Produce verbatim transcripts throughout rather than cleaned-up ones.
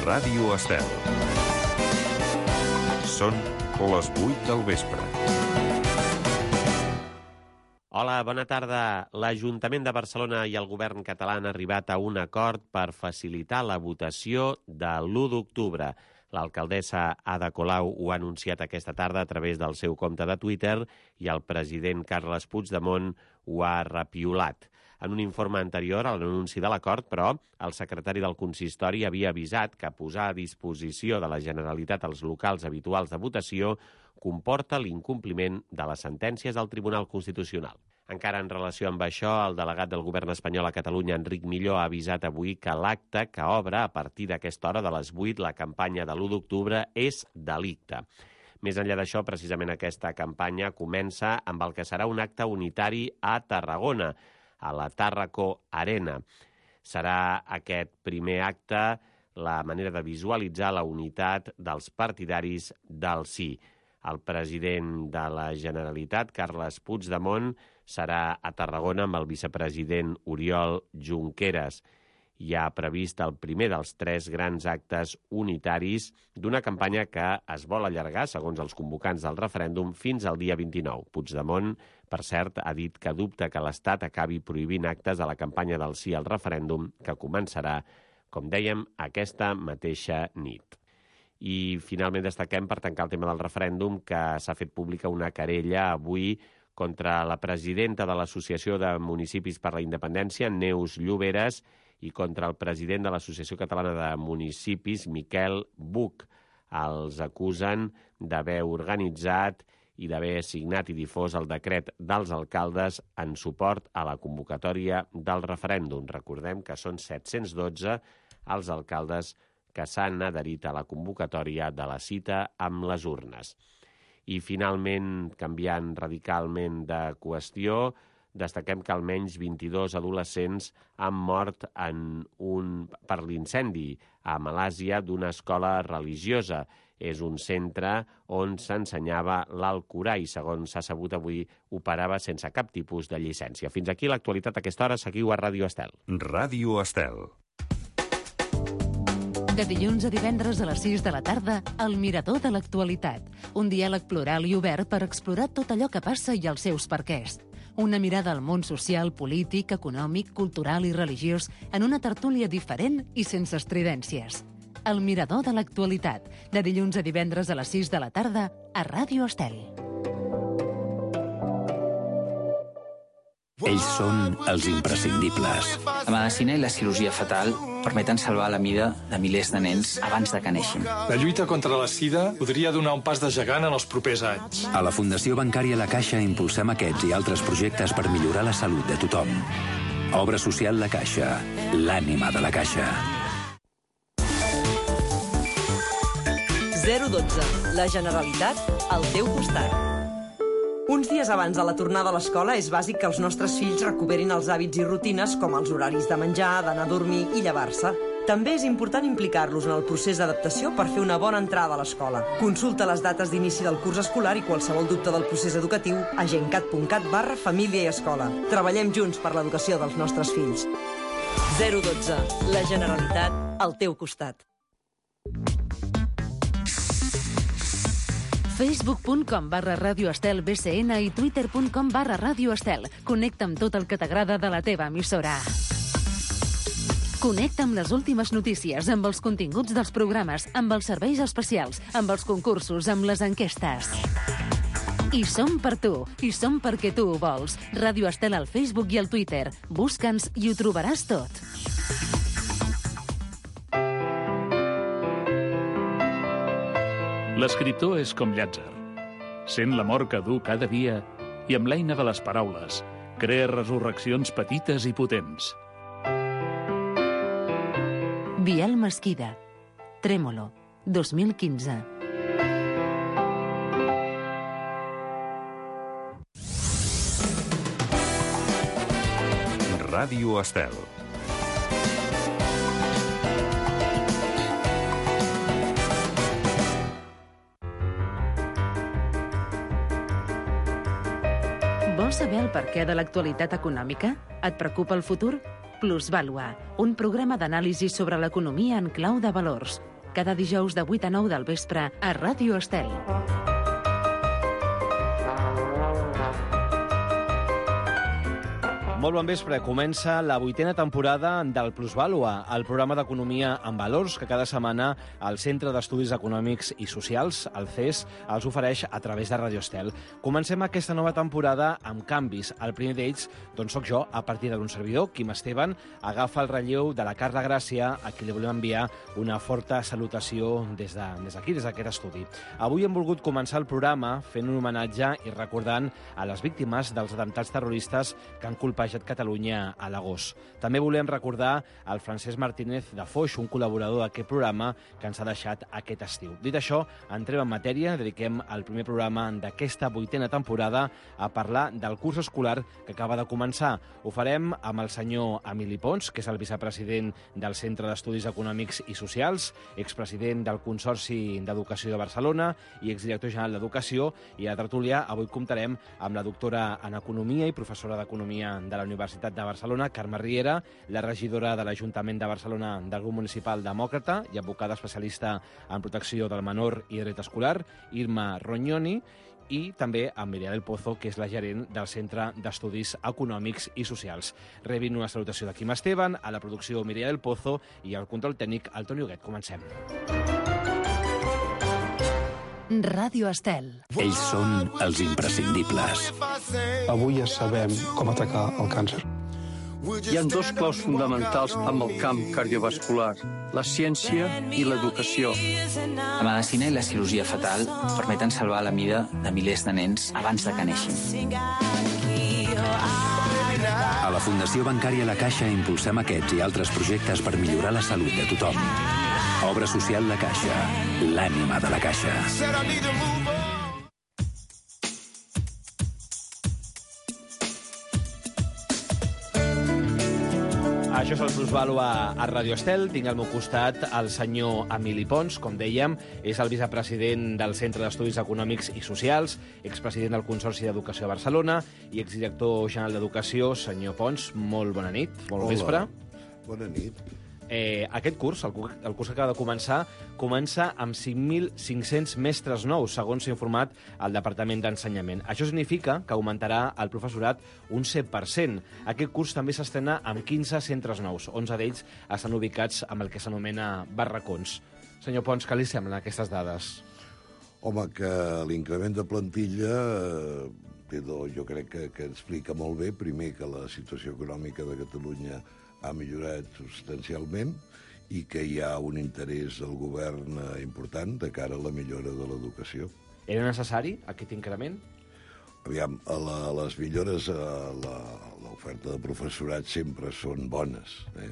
Ràdio Estel. Són les vuit del vespre. Hola, bona tarda. L'Ajuntament de Barcelona i el govern català han arribat a un acord per facilitar la votació de l'u d'octubre. L'alcaldessa Ada Colau ho ha anunciat aquesta tarda a través del seu compte de Twitter i el president Carles Puigdemont ho ha repiolat. En un informe anterior a l'anunci de l'acord, però, el secretari del consistori havia avisat que posar a disposició de la Generalitat els locals habituals de votació comporta l'incompliment de les sentències del Tribunal Constitucional. Encara en relació amb això, el delegat del govern espanyol a Catalunya, Enric Milló, ha avisat avui que l'acte que obre a partir d'aquesta hora de les vuit la campanya de l'u d'octubre és delicte. Més enllà d'això, precisament aquesta campanya comença amb el que serà un acte unitari a Tarragona, a la Tàrraco Arena. Serà aquest primer acte la manera de visualitzar la unitat dels partidaris del sí. El president de la Generalitat, Carles Puigdemont, serà a Tarragona amb el vicepresident Oriol Junqueras. Hi ha previst el primer dels tres grans actes unitaris d'una campanya que es vol allargar, segons els convocants del referèndum, fins al dia vint-i-nou. Puigdemont, per cert, ha dit que dubta que l'Estat acabi prohibint actes de la campanya del sí al referèndum, que començarà, com dèiem, aquesta mateixa nit. I finalment destaquem, per tancar el tema del referèndum, que s'ha fet pública una querella avui contra la presidenta de l'Associació de Municipis per la Independència, Neus Lloberes, i contra el president de l'Associació Catalana de Municipis, Miquel Buch. Els acusen d'haver organitzat i d'haver signat i difós el decret dels alcaldes en suport a la convocatòria del referèndum. Recordem que són set-cents dotze els alcaldes que s'han adherit a la convocatòria de la cita amb les urnes. I finalment, canviant radicalment de qüestió, destaquem que almenys vint-i-dos adolescents han mort en un, per l'incendi a Malàsia d'una escola religiosa. És un centre on s'ensenyava l'Alcorà i, segons s'ha sabut avui, operava sense cap tipus de llicència. Fins aquí l'actualitat a aquesta hora. Seguiu a Ràdio Estel. Ràdio Estel. De dilluns a divendres a les sis de la tarda, El Mirador de l'Actualitat. Un diàleg plural i obert per explorar tot allò que passa i els seus perquès. Una mirada al món social, polític, econòmic, cultural i religiós en una tertúlia diferent i sense estridències. El Mirador de l'Actualitat. De dilluns a divendres a les sis de la tarda a Ràdio Estel. Ells són els imprescindibles. La medicina i la cirurgia fetal permeten salvar la vida de milers de nens abans de que neixin. La lluita contra la sida podria donar un pas de gegant en els propers anys. A la Fundació Bancària La Caixa impulsem aquests i altres projectes per millorar la salut de tothom. Obra social La Caixa, l'ànima de la Caixa. zero dotze. La Generalitat al teu costat. Uns dies abans de la tornada a l'escola és bàsic que els nostres fills recuperin els hàbits i rutines com els horaris de menjar, d'anar a dormir i llevar-se. També és important implicar-los en el procés d'adaptació per fer una bona entrada a l'escola. Consulta les dates d'inici del curs escolar i qualsevol dubte del procés educatiu a gencat punt cat barra família i escola. Treballem junts per l'educació dels nostres fills. zero dotze. La Generalitat al teu costat. facebook punt com barra Ràdio Estel B C N i twitter punt com barra Ràdio Estel. Connecta amb tot el que t'agrada de la teva emissora. Connecta amb les últimes notícies, amb els continguts dels programes, amb els serveis especials, amb els concursos, amb les enquestes. I som per tu, i som perquè tu ho vols. Ràdio Estel al Facebook i al Twitter. Busca'ns i ho trobaràs tot. L'escriptor és com Llàtzer. Sent l'amor que du cada dia i amb l'eina de les paraules crea resurreccions petites i potents. Biel Mesquida. Trémolo. dos mil quinze. Ràdio Estel. Vols saber el perquè de l'actualitat econòmica? Et preocupa el futur? Plusvàlua, un programa d'anàlisi sobre l'economia en clau de valors. cada dijous de vuit a nou del vespre a Ràdio Estel. Molt bon vespre. Comença la vuitena temporada del Plusvàlua, el programa d'economia en valors que cada setmana el Centre d'Estudis Econòmics i Socials, el C E S, els ofereix a través de Radio Estel. Comencem aquesta nova temporada amb canvis. El primer d'ells, doncs, soc jo, a partir d'un servidor, Quim Esteban, agafa el relleu de la Carla Gràcia, a qui li volem enviar una forta salutació des d'aquí, des d'aquest estudi. Avui hem volgut començar el programa fent un homenatge i recordant a les víctimes dels atemptats terroristes que han colpejat Catalunya a l'agost. També volem recordar el Francesc Martínez de Foix, un col·laborador d'aquest programa que ens ha deixat aquest estiu. Dit això, entrem en matèria, dediquem el primer programa d'aquesta vuitena temporada a parlar del curs escolar que acaba de començar. Ho farem amb el senyor Emili Pons, que és el vicepresident del Centre d'Estudis Econòmics i Socials, expresident del Consorci d'Educació de Barcelona i exdirector general d'Educació, i a la tertúlia avui comptarem amb la doctora en Economia i professora d'Economia de la Universitat de Barcelona, Carme Riera, la regidora de l'Ajuntament de Barcelona del grup municipal demòcrata i advocada especialista en protecció del menor i dret escolar, Irma Rognoni, i també amb Mireia del Pozo, que és la gerent del Centre d'Estudis Econòmics i Socials. Rebin una salutació de Quim Esteban, a la producció Mireia del Pozo i al control tècnic el Toni Huguet. Comencem. Ràdio Estel. Ells són els imprescindibles. Avui ja sabem com atacar el càncer. Hi ha dos claus fonamentals amb el camp cardiovascular, la ciència i l'educació. La medicina i la cirurgia fetal permeten salvar la vida de milers de nens abans de que neixin. A la Fundació Bancària La Caixa impulsem aquests i altres projectes per millorar la salut de tothom. Obra social La Caixa, l'ànima de la Caixa. Això és el Plusvàlua a Radio Estel. Tinc al meu costat el senyor Emili Pons, com dèiem, és el vicepresident del Centre d'Estudis Econòmics i Socials, expresident del Consorci d'Educació de Barcelona i exdirector general d'Educació. Senyor Pons, molt bona nit, molt Hola. vespre. Bona nit. Eh, aquest curs, el, el curs que acaba de començar, comença amb cinc mil cinc-cents mestres nous, segons s'ha informat el Departament d'Ensenyament. Això significa que augmentarà el professorat un set per cent. Aquest curs també s'estrena amb quinze centres nous. onze d'ells estan ubicats amb el que s'anomena barracons. Senyor Pons, què li semblen aquestes dades? Home, que l'increment de plantilla eh, jo crec que, que explica molt bé, primer, que la situació econòmica de Catalunya ha millorat substancialment i que hi ha un interès del govern important de cara a la millora de l'educació. Era necessari aquest increment? Aviam, a la, les millores a l'oferta de professorat sempre són bones. Eh?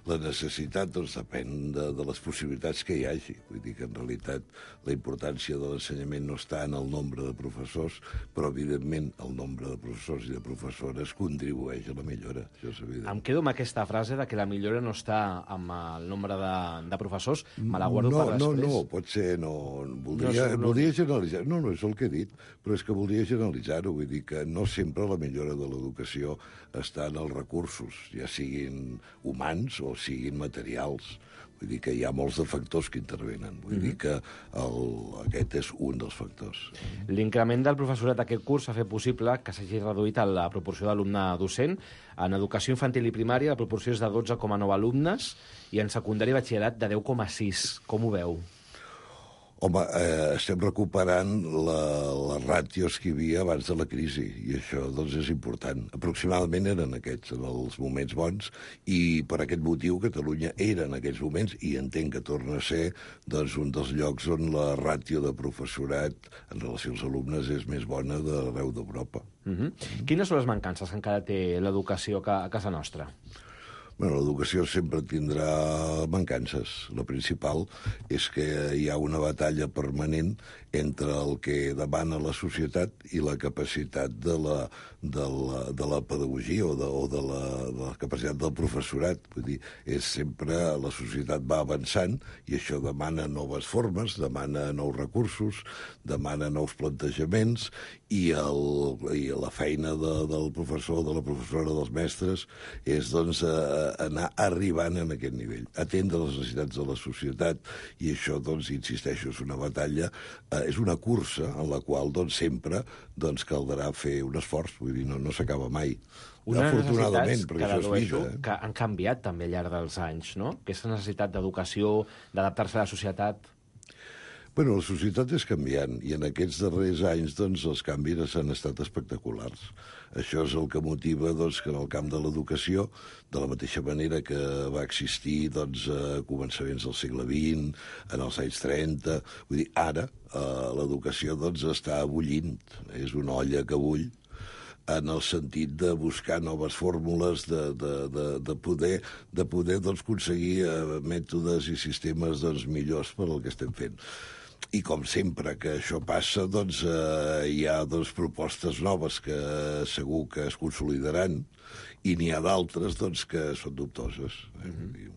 La necessitat doncs, depèn de, de les possibilitats que hi hagi. Vull dir que, en realitat, la importància de l'ensenyament no està en el nombre de professors, però, evidentment, el nombre de professors i de professores contribueix a la millora. Això és evident. Em quedo amb aquesta frase de que la millora no està amb el nombre de, de professors. Me la guardo no, per després. No, no, pot ser... No, voldria, no, no, voldria generalitzar. No, no, és el que he dit, però és que voldria generalitzar-ho. Vull dir que no sempre la millora de l'educació està en els recursos, ja siguin humans o siguin materials. Vull dir que hi ha molts de factors que intervenen. Vull mm-hmm. dir que el, aquest és un dels factors. L'increment del professorat d'aquest curs ha fet possible que s'hagi reduït la proporció d'alumne docent. En educació infantil i primària la proporció és de dotze coma nou alumnes i en secundària i batxillerat de deu coma sis. Com ho veu? Home, eh, estem recuperant la, les ràtios que hi havia abans de la crisi, i això doncs, és important. Aproximadament eren aquests, en els moments bons, i per aquest motiu Catalunya era en aquests moments, i entenc que torna a ser doncs, un dels llocs on la ràtio de professorat en relació als alumnes és més bona d'arreu d'Europa. Mm-hmm. Mm-hmm. Quines són les mancances que encara té l'educació a casa nostra? Bueno, l'educació sempre tindrà mancances. La principal és que hi ha una batalla permanent entre el que demana la societat i la capacitat de la, de la, de la pedagogia o, de, o de, la, de la capacitat del professorat. Vull dir, és sempre la societat va avançant i això demana noves formes, demana nous recursos, demana nous plantejaments i, el, i la feina de, del professor, de la professora, dels mestres és doncs, eh, anar arribant en aquest nivell, atendre les necessitats de la societat, i això, doncs, insisteixo, és una batalla, eh, és una cursa en la qual, doncs, sempre doncs, caldrà fer un esforç, vull dir, no, no s'acaba mai. Unes Afortunadament, necessitats perquè que això és dedueixo vida. Eh? que han canviat també al llarg dels anys, no? Aquesta necessitat d'educació, d'adaptar-se a la societat. Bueno, la societat és canviant, i en aquests darrers anys doncs, els canvis han estat espectaculars. Això és el que motiva doncs, que en el camp de l'educació, de la mateixa manera que va existir doncs, a començaments del segle vint, en els anys trenta, vull dir, ara eh, l'educació doncs, està bullint, és una olla que bull, en el sentit de buscar noves fórmules, de, de, de, de poder, de poder doncs, aconseguir eh, mètodes i sistemes doncs, millors per al que estem fent. I com sempre que això passa, doncs, eh, hi ha doncs, propostes noves que segur que es consolidaran, i n'hi ha d'altres doncs, que són dubtoses. Eh? Mm-hmm.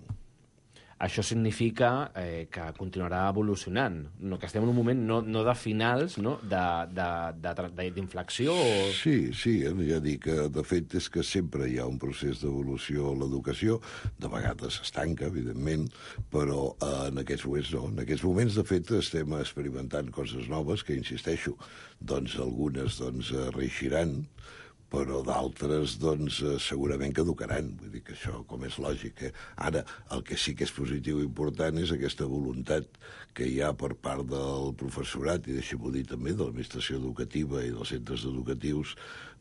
Això significa eh, que continuarà evolucionant, no? Que estem en un moment no, no de finals, no? d'inflexió? O... Sí, sí, ja dic que de fet és que sempre hi ha un procés d'evolució a l'educació, de vegades s'estanca, evidentment, però eh, en aquests moments no. En aquests moments, de fet, estem experimentant coses noves que, insisteixo, doncs algunes doncs, reeixiran, però d'altres doncs, segurament caducaran. Vull dir que això, com és lògic. Eh? Ara, el que sí que és positiu i important és aquesta voluntat que hi ha per part del professorat, i deixem-ho dir també, de l'administració educativa i dels centres educatius,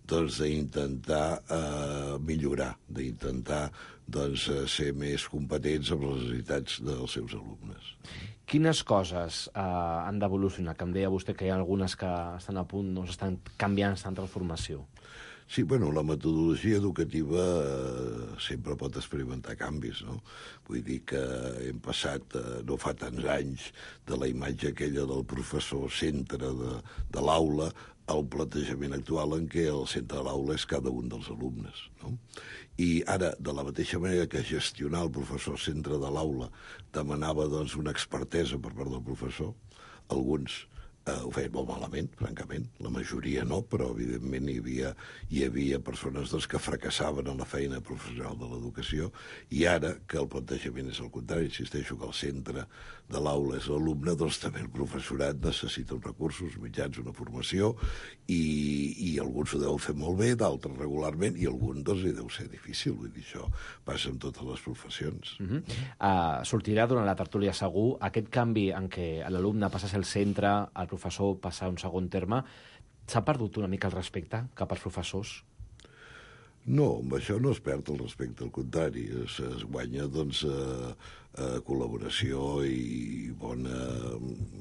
doncs d'intentar eh, millorar, d'intentar doncs, ser més competents amb les necessitats dels seus alumnes. Quines coses eh, han d'evolucionar? Que em deia vostè que hi ha algunes que estan a punt, no estan canviant, estan en transformació. Sí, bueno, la metodologia educativa eh, sempre pot experimentar canvis, no? Vull dir que hem passat, eh, no fa tants anys, de la imatge aquella del professor centre de, de l'aula al plantejament actual en què el centre de l'aula és cada un dels alumnes, no? I ara, de la mateixa manera que gestionar el professor centre de l'aula demanava doncs, una expertesa per part del professor, alguns eh, ho feien molt malament, francament, la majoria no, però evidentment hi havia, hi havia persones doncs, que fracassaven en la feina professional de l'educació, i ara que el plantejament és el contrari, insisteixo que el centre de l'aula és l'alumne, doncs també el professorat necessita uns recursos, mitjans, una formació, i, i alguns ho deuen fer molt bé, d'altres regularment, i algun doncs li deu ser difícil, vull dir, això passa en totes les professions. Uh-huh. uh, sortirà durant la tertúlia segur aquest canvi en què l'alumne passa a ser el centre, el professor passa a un segon terme. S'ha perdut una mica el respecte cap als professors? No, amb això no es perd el respecte, al contrari, es, es guanya doncs, eh, eh, col·laboració i bona,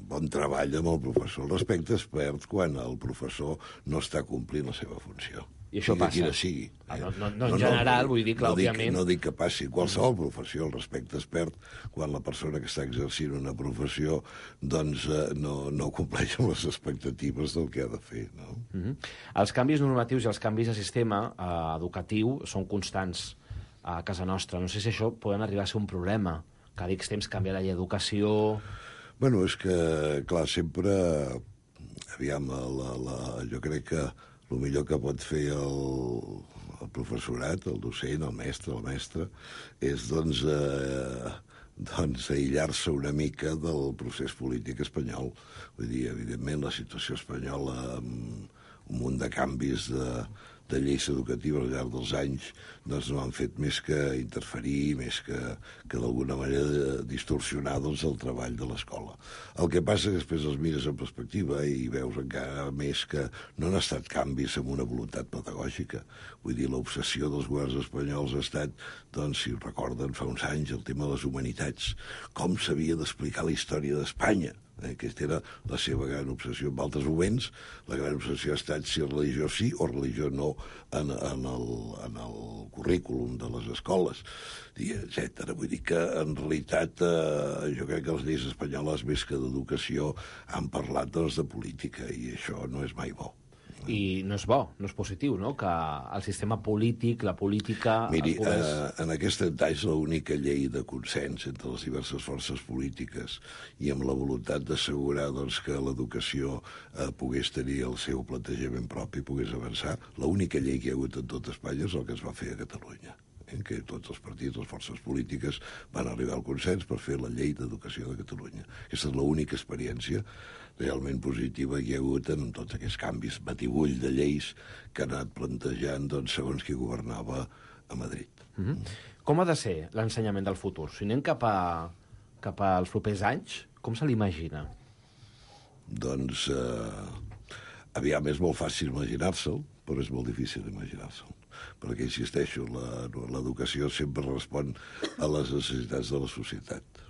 bon treball amb el professor. El respecte es perd quan el professor no està complint la seva funció. I això passa? Quina sigui. Ah, no, no, no, en general, no, vull dir que, no òbviament... Dic, no dic que passi. Qualsevol professió, el respecte es perd quan la persona que està exercint una professió doncs, eh, no, no compleix amb les expectatives del que ha de fer. No? Uh-huh. Els canvis normatius i els canvis de sistema eh, educatiu són constants a casa nostra. No sé si això poden arribar a ser un problema. Cada X temps canvia la llei d'educació... Bueno, és que, clar, sempre... Aviam, la, la, jo crec que el millor que pot fer el, el professorat, el docent, el mestre, la mestra, és, doncs, eh, doncs aïllar-se una mica del procés polític espanyol. Vull dir, evidentment, la situació espanyola, amb un munt de canvis de, de lleis educatives al llarg dels anys, doncs no han fet més que interferir, més que, que d'alguna manera distorsionar doncs, el treball de l'escola. El que passa és que després els mires en perspectiva i veus encara més que no han estat canvis amb una voluntat pedagògica. Vull dir, l'obsessió dels governs espanyols ha estat, doncs, si ho recorden, fa uns anys, el tema de les humanitats. Com s'havia d'explicar la història d'Espanya? Eh, aquesta era la seva gran obsessió. En altres moments, la gran obsessió ha estat si religió sí o religió no en, en, el, en el currículum de les escoles, etcètera. Vull dir que, en realitat, eh, jo crec que les lleis espanyoles, més que d'educació, han parlat doncs, de política, i això no és mai bo. I no és bo, no és positiu, no?, que el sistema polític, la política... Miri, pogués... eh, en aquest anys l'única llei de consens entre les diverses forces polítiques i amb la voluntat d'assegurar doncs, que l'educació eh, pogués tenir el seu plantejament propi, pogués avançar, l'única llei que hi ha hagut en tot Espanya és el que es va fer a Catalunya, eh, que tots els partits, les forces polítiques, van arribar al consens per fer la llei d'educació de Catalunya. Aquesta és l'única experiència realment positiva que hi ha hagut en tots aquests canvis, batibull de lleis que han anat plantejant doncs, segons qui governava a Madrid. Mm-hmm. Com ha de ser l'ensenyament del futur? Si anem cap, a, cap als propers anys, com se l'imagina? Doncs, eh, aviam, és molt fàcil imaginar-se'l, però és molt difícil imaginar-se'l. Perquè, insisteixo, l'educació sempre respon a les necessitats de la societat.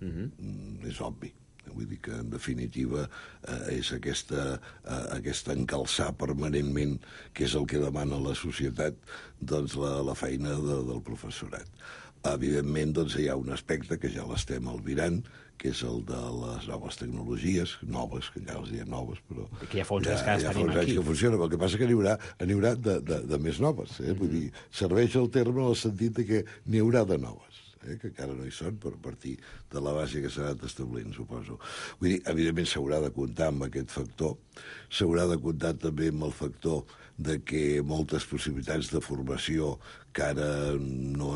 Mm-hmm. És obvi. Vull dir que, en definitiva, eh, és aquesta, eh, aquesta encalçar permanentment, que és el que demana la societat, doncs la, la feina de, del professorat. Evidentment, doncs, hi ha un aspecte que ja l'estem albirant, que és el de les noves tecnologies, noves, que ja les diem noves, però... I que ja fa uns anys que ja, ja tenim ja aquí. Que funciona, però el que passa que n'hi haurà, n'hi haurà de, de, de més noves. Eh? Mm-hmm. Vull dir, serveix el terme en el sentit de que n'hi haurà de noves. Eh, que encara no hi són, per partir de la base que s'ha anat establint, suposo. Vull dir, evidentment s'haurà de comptar amb aquest factor, s'haurà de comptar també amb el factor de que moltes possibilitats de formació que ara no,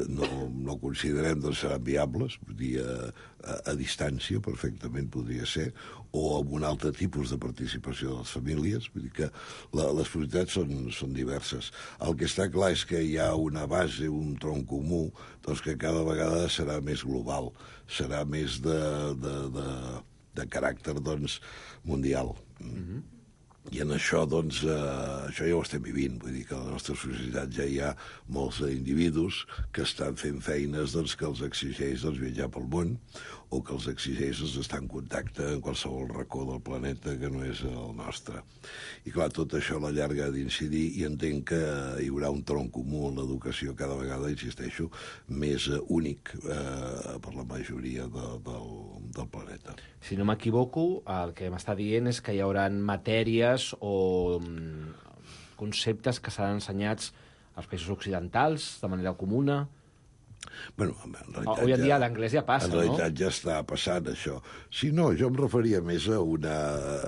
no, no considerem doncs seran viables, vull dir, a, a, a distància perfectament podria ser, o amb un altre tipus de participació de les famílies, vull dir que la, les possibilitats són, són diverses. El que està clar és que hi ha una base, un tronc comú, doncs que cada vegada serà més global, serà més de, de, de, de caràcter doncs, mundial. Mm-hmm. I en això, doncs, eh, això ja ho estem vivint. Vull dir que a la nostra societat ja hi ha molts individus que estan fent feines doncs, que els exigeix doncs, viatjar pel món o que els exigeix doncs, estar en contacte en qualsevol racó del planeta que no és el nostre. I clar, tot això a la llarga ha d'incidir i entenc que hi haurà un tronc comú en l'educació cada vegada, insisteixo, més eh, únic eh, per la majoria de, del, del planeta. Si no m'equivoco, el que m'està dient és que hi haurà matèries o conceptes que seran ensenyats als països occidentals de manera comuna. Bueno, en realitat, avui en dia ja, l'anglès ja passa, no? En realitat no? ja està passant, això. Si no, jo em referia més a una...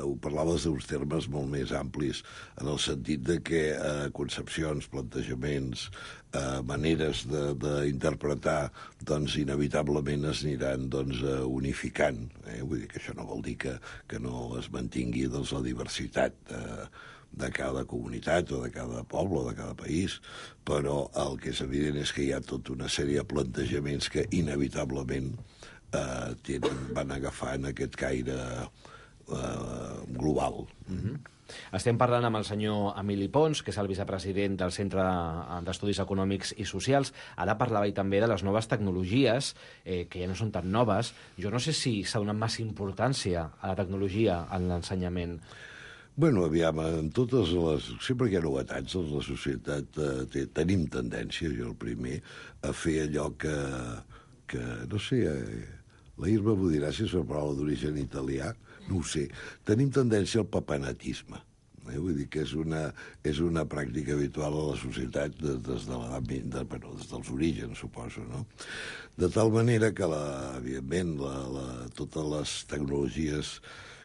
Ho parlaves d'uns termes molt més amplis, en el sentit de que eh, concepcions, plantejaments, eh, maneres d'interpretar, doncs, inevitablement es aniran doncs, unificant. Eh? Vull dir que això no vol dir que, que no es mantingui doncs, la diversitat eh, de cada comunitat o de cada poble o de cada país, però el que és evident és que hi ha tota una sèrie de plantejaments que inevitablement eh, tenen, van agafant aquest caire eh, global. Mm-hmm. Estem parlant amb el senyor Emili Pons, que és el vicepresident del Centre d'Estudis Econòmics i Socials. Ara parlava ell també de les noves tecnologies, eh, que ja no són tan noves. Jo no sé si s'ha donat massa importància a la tecnologia en l'ensenyament. Bueno, aviam, en totes les... Sempre que hi ha novetats, la societat eh, té, tenim tendència, jo el primer, a fer allò que, que no sé, eh, la Irma m'ho dirà si és una paraula d'origen italià, no ho sé. Tenim tendència al papanatisme. Eh? Vull dir que és una, és una pràctica habitual a la societat des, des, de de, bueno, des dels orígens, suposo, no? De tal manera que, la, evidentment, la, la, totes les tecnologies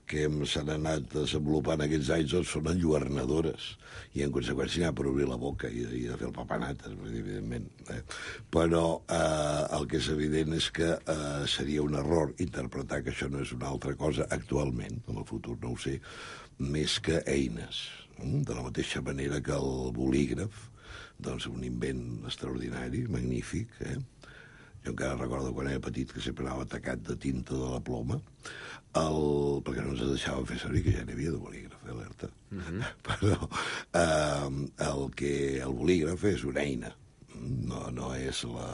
que s'han anat desenvolupant aquests anys doncs, són enlluernadores i en conseqüència n'hi ha per obrir la boca i, i de fer el papanat, evidentment. Eh? Però eh, el que és evident és que eh, seria un error interpretar que això no és una altra cosa actualment, en el futur no ho sé, més que eines. De la mateixa manera que el bolígraf, doncs un invent extraordinari, magnífic, eh? Jo encara recordo quan era petit que sempre anava atacat de tinta de la ploma, el... perquè no ens deixaven fer servir, que ja n'hi havia de bolígraf, alerta. Mm-hmm. Però eh, el, que, el bolígraf és una eina, no, no és la,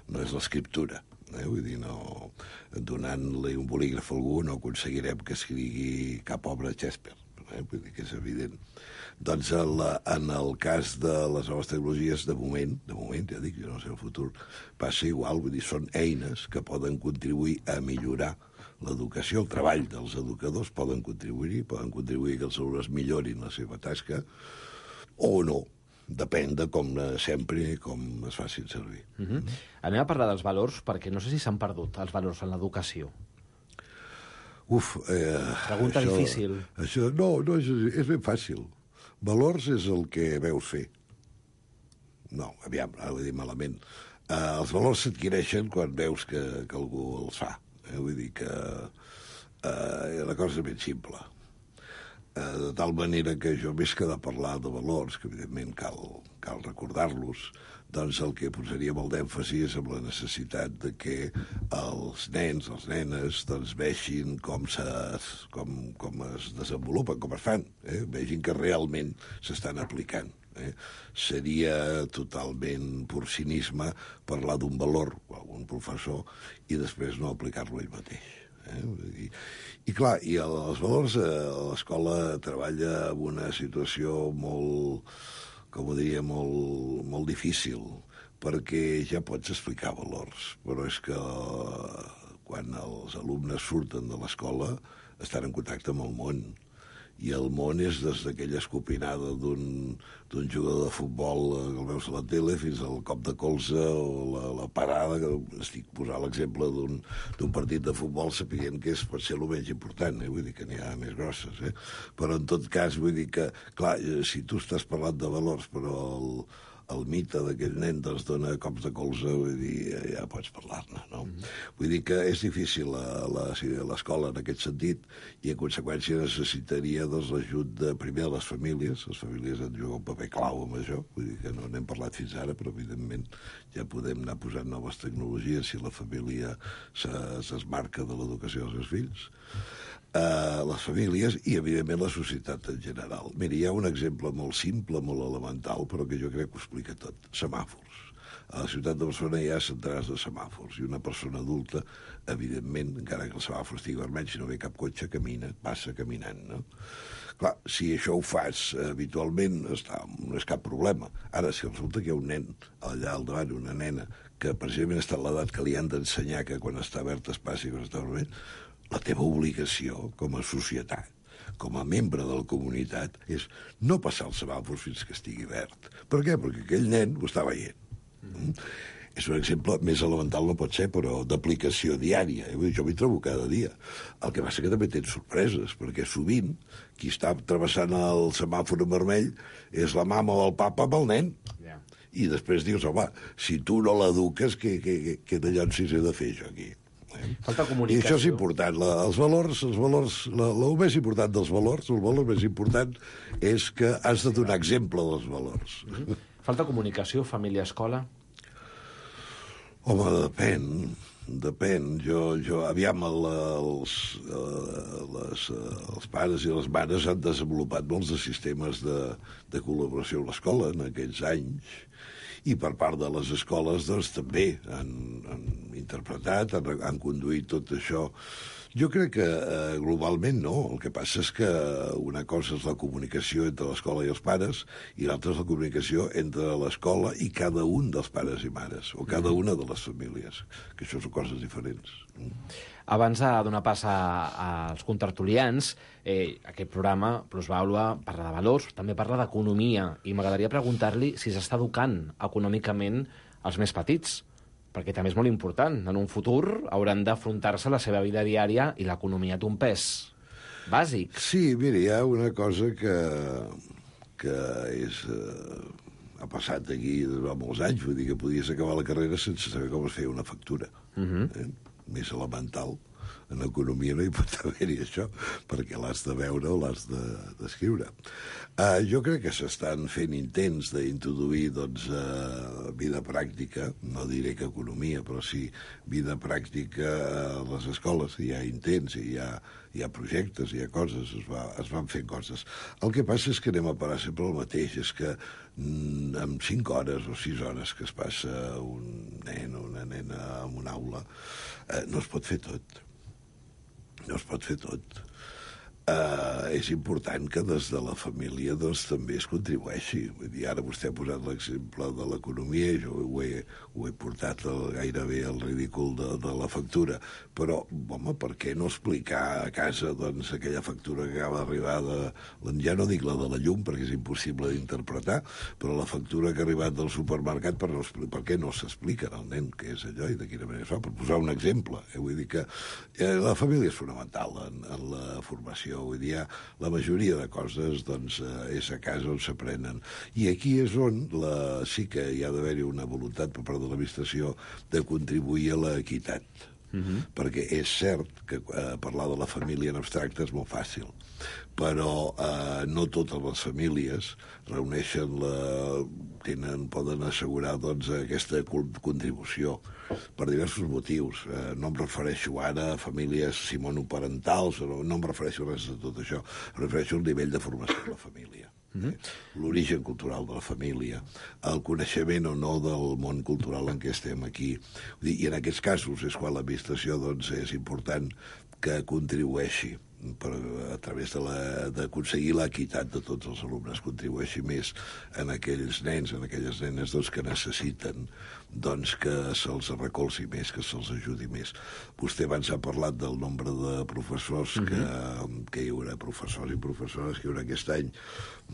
no és l'escriptura. Eh? Vull dir, no, donant-li un bolígraf a algú no aconseguirem que escrigui cap obra de Shakespeare. Eh? Vull dir que és evident. Doncs en, la, en el cas de les noves tecnologies, de moment, de moment, ja dic, jo no sé el futur, passa igual, vull dir, són eines que poden contribuir a millorar l'educació, el treball dels educadors, poden contribuir-hi, poden contribuir que els alumnes millorin la seva tasca, o no. Depèn de com sempre i com es facin servir. Mm-hmm. Anem a parlar dels valors, perquè no sé si s'han perdut els valors en l'educació. Uf, eh, Pregunta això, difícil. Això, no, no, és, és ben fàcil. Valors és el que veus fer. no, aviam, ara ho he dit malament. Uh, els valors s'adquireixen quan veus que, que algú els fa. Eh? Vull dir que uh, la cosa és ben simple. Uh, de tal manera que jo, més que de parlar de valors, que evidentment cal, cal recordar-los, doncs el que posaria molt d'èmfasi és amb la necessitat de que els nens, les nenes, doncs vegin com, se, com, com es desenvolupen, com es fan, eh? Vegin que realment s'estan aplicant. Eh? Seria totalment pur cinisme parlar d'un valor o algun professor i després no aplicar-lo ell mateix. Eh? I, I clar, i els valors, eh, l'escola treballa en una situació molt, com ho diria, molt, molt difícil, perquè ja pots explicar valors, però és que quan els alumnes surten de l'escola estan en contacte amb el món, i el món és des d'aquella escopinada d'un jugador de futbol que el veus a la tele fins al cop de colze o la, la parada, que estic posant l'exemple d'un partit de futbol sapiguent que és, pot ser el menys important, eh? Vull dir que n'hi ha més grosses, eh? Però en tot cas vull dir que, clar, si tu estàs parlant de valors, però el, el mite d'aquell nen doncs dona cops de colze, vull dir, ja pots parlar-ne, no? Mm-hmm. Vull dir que és difícil l'escola en aquest sentit i en conseqüència necessitaria doncs l'ajut de, primer de les famílies. Les famílies han de jugar un paper clau amb això, vull dir que no n'hem parlat fins ara, però evidentment ja podem anar posant noves tecnologies si la família s'esmarca de l'educació dels seus fills. Uh, les famílies i, evidentment, la societat en general. Mira, hi ha un exemple molt simple, molt elemental, però que jo crec que ho explica tot. Semàfors. A la ciutat de Barcelona hi ha centenars de semàfors i una persona adulta, evidentment, encara que el semàfor estigui vermell, si no ve cap cotxe, camina, passa caminant, no? Clar, si això ho fas habitualment, està, no és cap problema. Ara, si resulta que hi ha un nen allà al davant, una nena, que precisament està a l'edat que li han d'ensenyar que quan està verd es passi i quan està vermell, la teva obligació com a societat, com a membre de la comunitat, és no passar el semàfor fins que estigui verd. Per què? Perquè aquell nen ho està veient. Mm. És un exemple més elemental, no pot ser, però d'aplicació diària. Jo m'hi trobo cada dia. El que passa que també tens sorpreses, perquè sovint qui està travessant el semàfor en vermell és la mama o el papa amb el nen. Yeah. I després dius, home, si tu no l'eduques, què, què, què, què d'allò si he de fer jo aquí? Falta comunicació. I això és important. La, els valors, els valors la, el més important dels valors, el valor més important és que has de donar exemple dels valors. Mm-hmm. Falta comunicació, família-escola? Home, depèn. Depèn. Jo, jo aviam, el, els, les, els pares i les mares han desenvolupat molts de sistemes de, de col·laboració amb l'escola en aquells anys, i per part de les escoles doncs, també han, han interpretat, han, han conduït tot això. Jo crec que eh, globalment no. El que passa és que una cosa és la comunicació entre l'escola i els pares i l'altra és la comunicació entre l'escola i cada un dels pares i mares, o cada una de les famílies, que això són coses diferents. Abans de donar pas als contertulians, eh, aquest programa, Plusvàlua, parla de valors, també parla d'economia, i m'agradaria preguntar-li si s'està educant econòmicament els més petits, perquè també és molt important. En un futur hauran d'afrontar-se a la seva vida diària i l'economia té un pes bàsic. Sí, mira, hi ha una cosa que, que és... Eh, ha passat aquí durant molts anys, vull dir que podies acabar la carrera sense saber com es feia una factura. Uh-huh. eh? Més elemental. En economia no hi pot haver-hi això, perquè l'has de veure o l'has d'escriure. De, uh, jo crec que s'estan fent intents d'introduir doncs, uh, vida pràctica, no diré que economia, però sí vida pràctica a les escoles. Hi ha intents, hi ha, hi ha projectes, hi ha coses, es, va, es van fent coses. El que passa és que anem a parar sempre el mateix, és que mm, en cinc hores o sis hores que es passa un nen o una nena en una aula, eh, no es pot fer tot. No es pot fer tot. Uh, és important que des de la família doncs, també es contribueixi. Vull dir, ara vostè ha posat l'exemple de l'economia i jo ho he, ho he portat el, gairebé al ridícul de, de la factura. Però, home, per què no explicar a casa doncs, aquella factura que acaba d'arribar de... Ja no dic la de la llum, perquè és impossible d'interpretar, però la factura que ha arribat del supermercat, per, no, per què no s'explica al nen què és allò i de quina manera es fa? Per posar un exemple. Eh? Vull dir que eh, la família és fonamental en, en la formació educació. Vull dir, la majoria de coses doncs, és a casa on s'aprenen. I aquí és on la, sí que hi ha d'haver-hi una voluntat per part de l'administració de contribuir a l'equitat. Uh-huh. Perquè és cert que eh, parlar de la família en abstracte és molt fàcil, però eh, no totes les famílies reuneixen la... tenen, poden assegurar doncs, aquesta contribució per diversos motius. Eh, no em refereixo ara a famílies monoparentals, no, no em refereixo a res de tot això, em refereixo al nivell de formació de la família. Mm-hmm. L'origen cultural de la família, el coneixement o no del món cultural en què estem aquí. I en aquests casos és quan l'administració doncs, és important que contribueixi per, a través d'aconseguir l'equitat de tots els alumnes, contribueixi més en aquells nens, en aquelles nenes doncs, que necessiten doncs, que se'ls recolzi més, que se'ls ajudi més. Vostè abans ha parlat del nombre de professors que, mm-hmm. que hi haurà, professors i professores que hi haurà aquest any,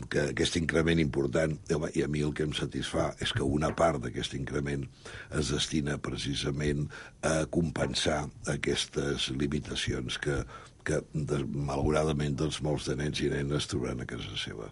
que aquest increment important, i a mi el que em satisfà és que una part d'aquest increment es destina precisament a compensar aquestes limitacions que que, malauradament, doncs, molts de nens i nenes trobaran a casa seva.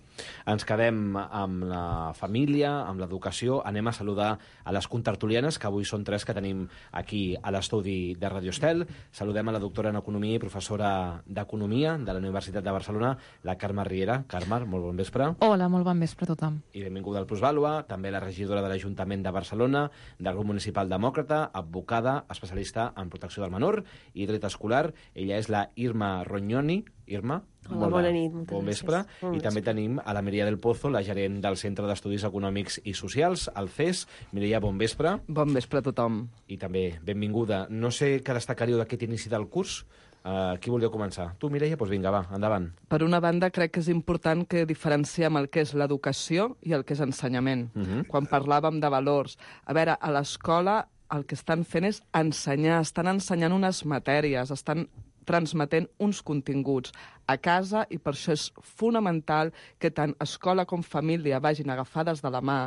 Ens quedem amb la família, amb l'educació. Anem a saludar a les contertulianes, que avui són tres que tenim aquí a l'estudi de Radio Estel. Saludem a la doctora en Economia i professora d'Economia de la Universitat de Barcelona, la Carme Riera. Carme, molt bon vespre. Hola, molt bon vespre a tothom. I benvinguda al Plusvàlua, també la regidora de l'Ajuntament de Barcelona, del grup municipal demòcrata, advocada, especialista en protecció del menor i dret escolar. Ella és la Irma Rognoni. Irma, hola, bona nit, moltes bon vespre. Bon I també tenim a la Mireia del Pozo, la gerent del Centre d'Estudis Econòmics i Socials, el C E S. Mireia, bon vespre. Bon vespre a tothom. I també benvinguda. No sé què destacaríeu d'aquest inici del curs. Uh, qui voldríeu començar? Tu, Mireia? Doncs vinga, va, endavant. Per una banda, crec que és important que diferenciem el que és l'educació i el que és ensenyament. Uh-huh. Quan parlàvem de valors, a veure, a l'escola el que estan fent és ensenyar, estan ensenyant unes matèries, estan transmetent uns continguts a casa, i per això és fonamental que tant escola com família vagin agafades de la mà,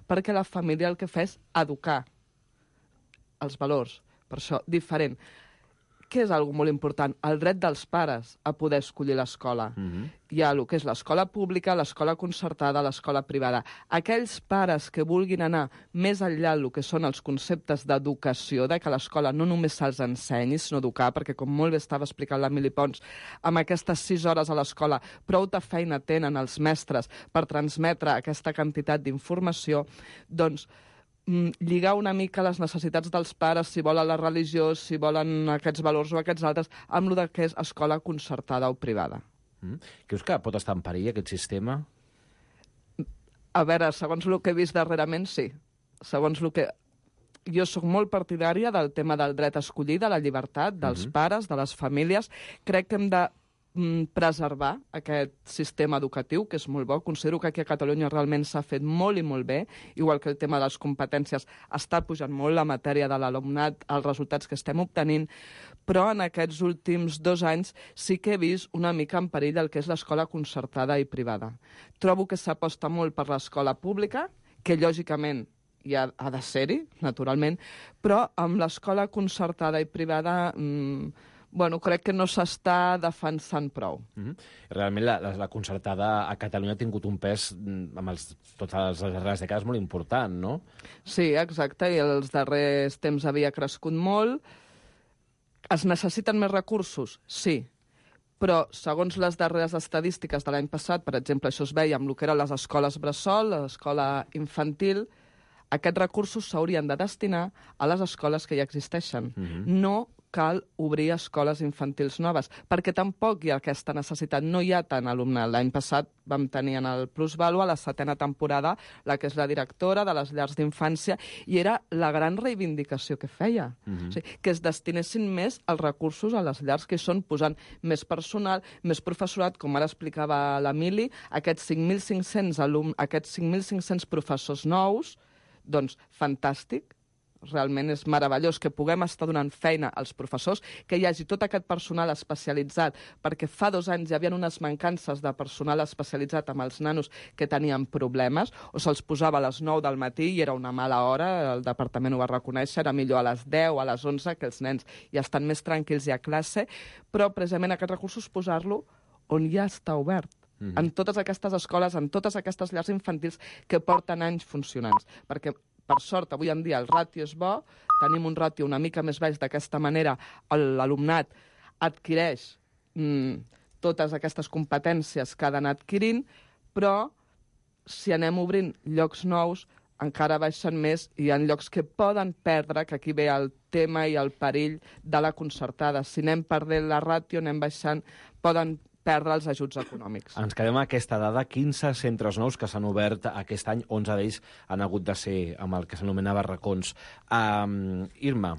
perquè la família el que fa és educar els valors. Per això, diferent. Què és algo molt important? El dret dels pares a poder escollir l'escola. Mm-hmm. Hi ha el que és l'escola pública, l'escola concertada, l'escola privada. Aquells pares que vulguin anar més enllà del que són els conceptes d'educació, de que l'escola no només se'ls ensenyi, sinó educar, perquè com molt bé estava explicant la Mili Pons, amb aquestes sis hores a l'escola prou de feina tenen els mestres per transmetre aquesta quantitat d'informació, doncs lligar una mica les necessitats dels pares, si volen la religió, si volen aquests valors o aquests altres, amb el que és escola concertada o privada. Mm. Creus que pot estar en perill aquest sistema? A veure, segons el que he vist darrerament, sí. Segons el que... Jo sóc molt partidària del tema del dret a escollir, de la llibertat, dels mm-hmm. pares, de les famílies. Crec que hem de preservar aquest sistema educatiu, que és molt bo. Considero que aquí a Catalunya realment s'ha fet molt i molt bé, igual que el tema de les competències està pujant molt la matèria de l'alumnat, els resultats que estem obtenint, però en aquests últims dos anys sí que he vist una mica en perill el que és l'escola concertada i privada. Trobo que s'aposta molt per l'escola pública, que lògicament ja ha de ser-hi, naturalment, però amb l'escola concertada i privada... Mmm, bueno, crec que no s'està defensant prou. Mm-hmm. Realment la, la, la concertada a Catalunya ha tingut un pes amb els, totes les darreres dècades molt important, no? Sí, exacte, i els darrers temps havia crescut molt. Es necessiten més recursos? Sí, però segons les darreres estadístiques de l'any passat, per exemple, això es veia amb el que eren les escoles bressol, l'escola infantil, aquests recursos s'haurien de destinar a les escoles que ja existeixen. Mm-hmm. No cal obrir escoles infantils noves, perquè tampoc hi ha aquesta necessitat, no hi ha tant alumnat. L'any passat vam tenir en el Plusvàlua la setena temporada, la que és la directora de les llars d'infància, i era la gran reivindicació que feia, mm-hmm. o sigui, que es destinessin més els recursos a les llars, que són posant més personal, més professorat, com ara explicava la Mili, aquests cinc mil cinc-cents alumnes, aquests cinc mil cinc-cents professors nous, doncs fantàstic. Realment és meravellós que puguem estar donant feina als professors, que hi hagi tot aquest personal especialitzat, perquè fa dos anys hi havia unes mancances de personal especialitzat amb els nanos que tenien problemes, o se'ls posava a les nou del matí i era una mala hora, el departament ho va reconèixer, era millor a les deu, a les onze, que els nens ja estan més tranquils i a classe, però precisament aquests recursos posar-lo on ja està obert. Mm-hmm. En totes aquestes escoles, en totes aquestes llars infantils que porten anys funcionants. Perquè, per sort, avui en dia el ràtio és bo, tenim un ràtio una mica més baix, d'aquesta manera l'alumnat adquireix mm, totes aquestes competències que ha d'anar adquirint, però si anem obrint llocs nous, encara baixen més i hi ha llocs que poden perdre, que aquí ve el tema i el perill de la concertada. Si anem perdent la ràtio, anem baixant, poden perdre els ajuts econòmics. Ens quedem amb aquesta dada, quinze centres nous que s'han obert aquest any, onze d'ells han hagut de ser amb el que s'anomenava racons. Um, Irma.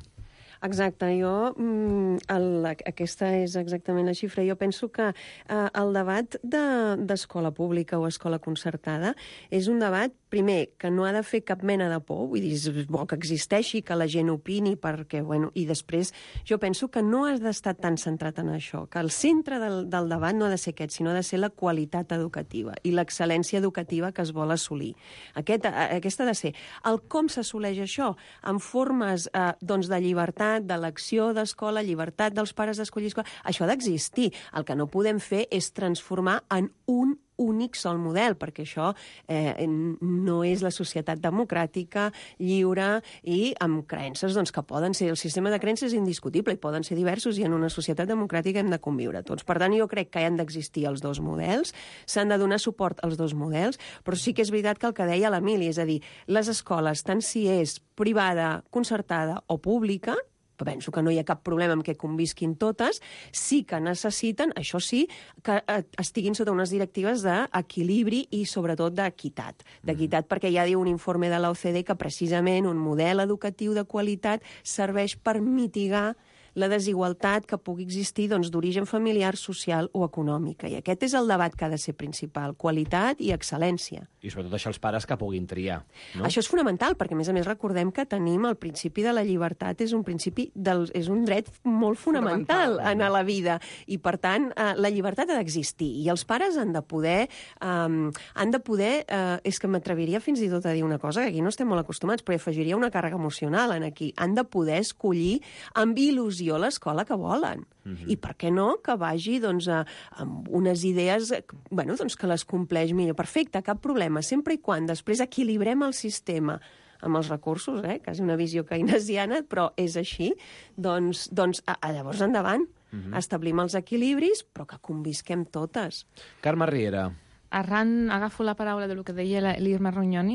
Exacte, jo, el, aquesta és exactament la xifra. Jo penso que eh, el debat d'escola de, pública o escola concertada és un debat, primer, que no ha de fer cap mena de por, vull dir, és bo que existeixi, que la gent opini, perquè, bueno, i després jo penso que no has d'estar tan centrat en això, que el centre del, del debat no ha de ser aquest, sinó ha de ser la qualitat educativa i l'excel·lència educativa que es vol assolir. Aquest, aquesta ha de ser. El com s'assoleix això? En formes eh, doncs, de llibertat, d'elecció d'escola, llibertat dels pares d'escollir escola. Això ha d'existir. El que no podem fer és transformar en un únic sol model, perquè això eh, no és la societat democràtica, lliure i amb creences doncs, que poden ser... El sistema de creences és indiscutible i poden ser diversos i en una societat democràtica hem de conviure tots. Per tant, jo crec que hi han d'existir els dos models, s'han de donar suport als dos models, però sí que és veritat que el que deia l'Emili, és a dir, les escoles, tant si és privada, concertada o pública, penso que no hi ha cap problema amb que convisquin totes, sí que necessiten, això sí, que estiguin sota unes directives d'equilibri i sobretot d'equitat. D'equitat perquè ja diu un informe de l'O C D que precisament un model educatiu de qualitat serveix per mitigar la desigualtat que pugui existir doncs, d'origen familiar, social o econòmica. I aquest és el debat que ha de ser principal, qualitat i excel·lència. I sobretot deixar els pares que puguin triar. No? Això és fonamental, perquè a més a més recordem que tenim el principi de la llibertat, és un principi del, és un dret molt fonamental, fonamental. En la vida. I per tant, eh, la llibertat ha d'existir. I els pares han de poder... Eh, han de poder eh, és que m'atreviria fins i tot a dir una cosa, que aquí no estem molt acostumats, però afegiria una càrrega emocional en aquí. Han de poder escollir amb il·lusió l'escola que volen. Uh-huh. I per què no que vagi doncs, a, amb unes idees bueno, doncs, que les compleix millor. Perfecte, cap problema. Sempre i quan després equilibrem el sistema amb els recursos, eh? Quasi una visió keynesiana, però és així, doncs, doncs a, a llavors endavant. Uh-huh. Establim els equilibris, però que convisquem totes. Carme Riera. Arran, agafo la paraula de lo que deia l'Irma Rognoni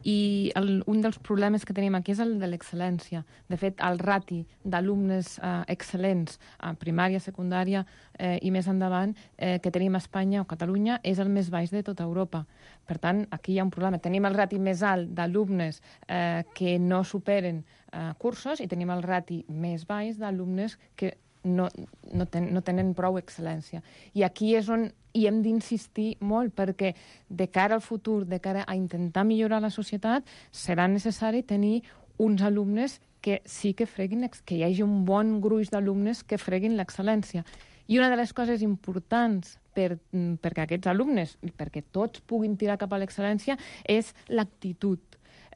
i el, un dels problemes que tenim aquí és el de l'excel·lència. De fet, el rati d'alumnes eh, excel·lents a primària, secundària eh, i més endavant eh, que tenim a Espanya o Catalunya és el més baix de tota Europa. Per tant, aquí hi ha un problema. Tenim el rati més alt d'alumnes eh, que no superen eh, cursos i tenim el rati més baix d'alumnes que no, no, ten, no tenen prou excel·lència. I aquí és on hi hem d'insistir molt, perquè de cara al futur, de cara a intentar millorar la societat, serà necessari tenir uns alumnes que sí que freguin, que hi hagi un bon gruix d'alumnes que freguin l'excel·lència. I una de les coses importants per, perquè aquests alumnes, i perquè tots puguin tirar cap a l'excel·lència, és l'actitud.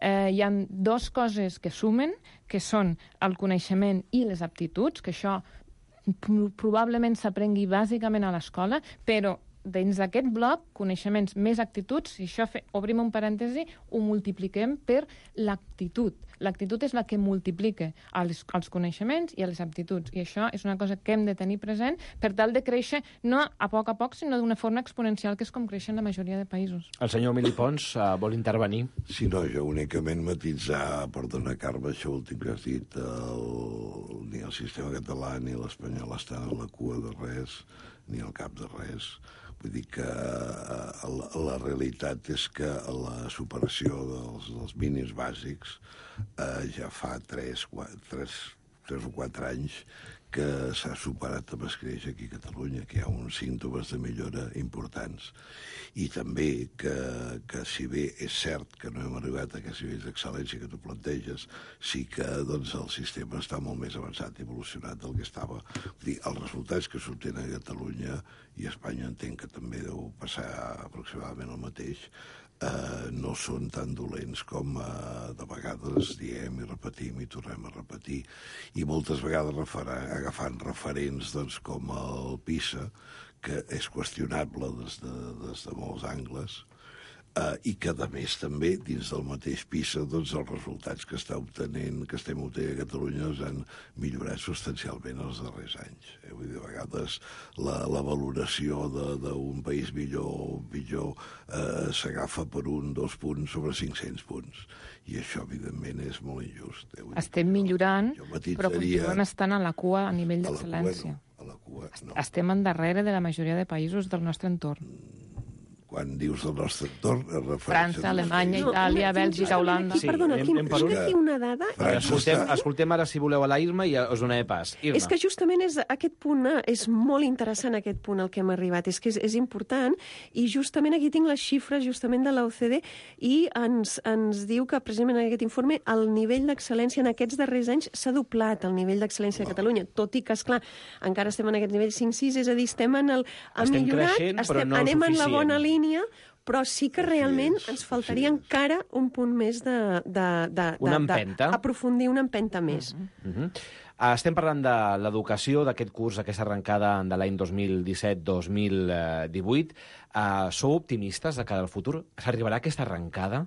Eh, hi ha dues coses que sumen, que són el coneixement i les aptituds, que això probablement s'aprengui bàsicament a l'escola, però dins d'aquest bloc, coneixements més actituds, si això fe, obrim un parèntesi, ho multipliquem per l'actitud. L'actitud és la que multiplica els, els coneixements i les aptituds, i això és una cosa que hem de tenir present per tal de créixer no a poc a poc, sinó d'una forma exponencial, que és com creixen la majoria de països. El senyor Emili Pons uh, vol intervenir. Sí, no, jo únicament matitzar, perdona, Carme, això últim que has dit, el, ni el sistema català ni l'espanyol estan a la cua de res, ni al cap de res. Vull dir que la, la realitat és que la superació dels, dels mínims bàsics eh, ja fa tres, quatre, tres, tres o quatre anys que s'ha superat amb escreix aquí a Catalunya, que hi ha uns símptomes de millora importants. I també que, que si bé és cert que no hem arribat a aquests nivells d'excel·lència que tu planteges, sí que doncs, el sistema està molt més avançat i evolucionat del que estava. Vull dir, els resultats que s'obtenen a Catalunya i a Espanya entenc que també deu passar aproximadament el mateix, eh, no són tan dolents com eh, de vegades diem i repetim i tornem a repetir. I moltes vegades refera, agafant referents doncs, com el PISA, que és qüestionable des de, des de molts angles, Uh, i que, a més, també, dins del mateix PISA, doncs, els resultats que està obtenint, que estem obtenint a Catalunya han millorat substancialment els darrers anys. Eh? Vull dir, a vegades la, la valoració d'un país millor o pitjor eh, s'agafa per un, dos punts sobre cinc-cents punts. I això, evidentment, és molt injust. Eh? Estem millorant, matitzaria... però continuem estant a la cua a nivell d'excel·lència. A la cua, no. Estem endarrere de la majoria de països del nostre entorn. Quan dius del nostre entorn... França, Alemanya, Itàlia, Bèlgica, Holanda... Sí, perdona, aquí em tinc aquí una dada... Escoltem, escoltem ara, si voleu, a la Irma i us donaré pas. Irma. És que justament és aquest punt, és molt interessant aquest punt al que hem arribat, és que és, és important, i justament aquí tinc les xifres justament de l'O C D i ens, ens diu que precisament en aquest informe el nivell d'excel·lència en aquests darrers anys s'ha doblat, el nivell d'excel·lència de Catalunya, tot i que, esclar, encara estem en aquest nivell cinc sis, és a dir, estem en el... Ha estem millorat, creixent, estem, però no anem en la suficient. bona línia, però sí que realment ens faltaria encara un punt més de... de, de una empenta. Aprofundir una empenta més. Uh -huh. uh, estem parlant de l'educació, d'aquest curs, aquesta arrencada de l'any dos mil disset dos mil divuit. Uh, sou optimistes de cara al futur? S'arribarà aquesta arrencada?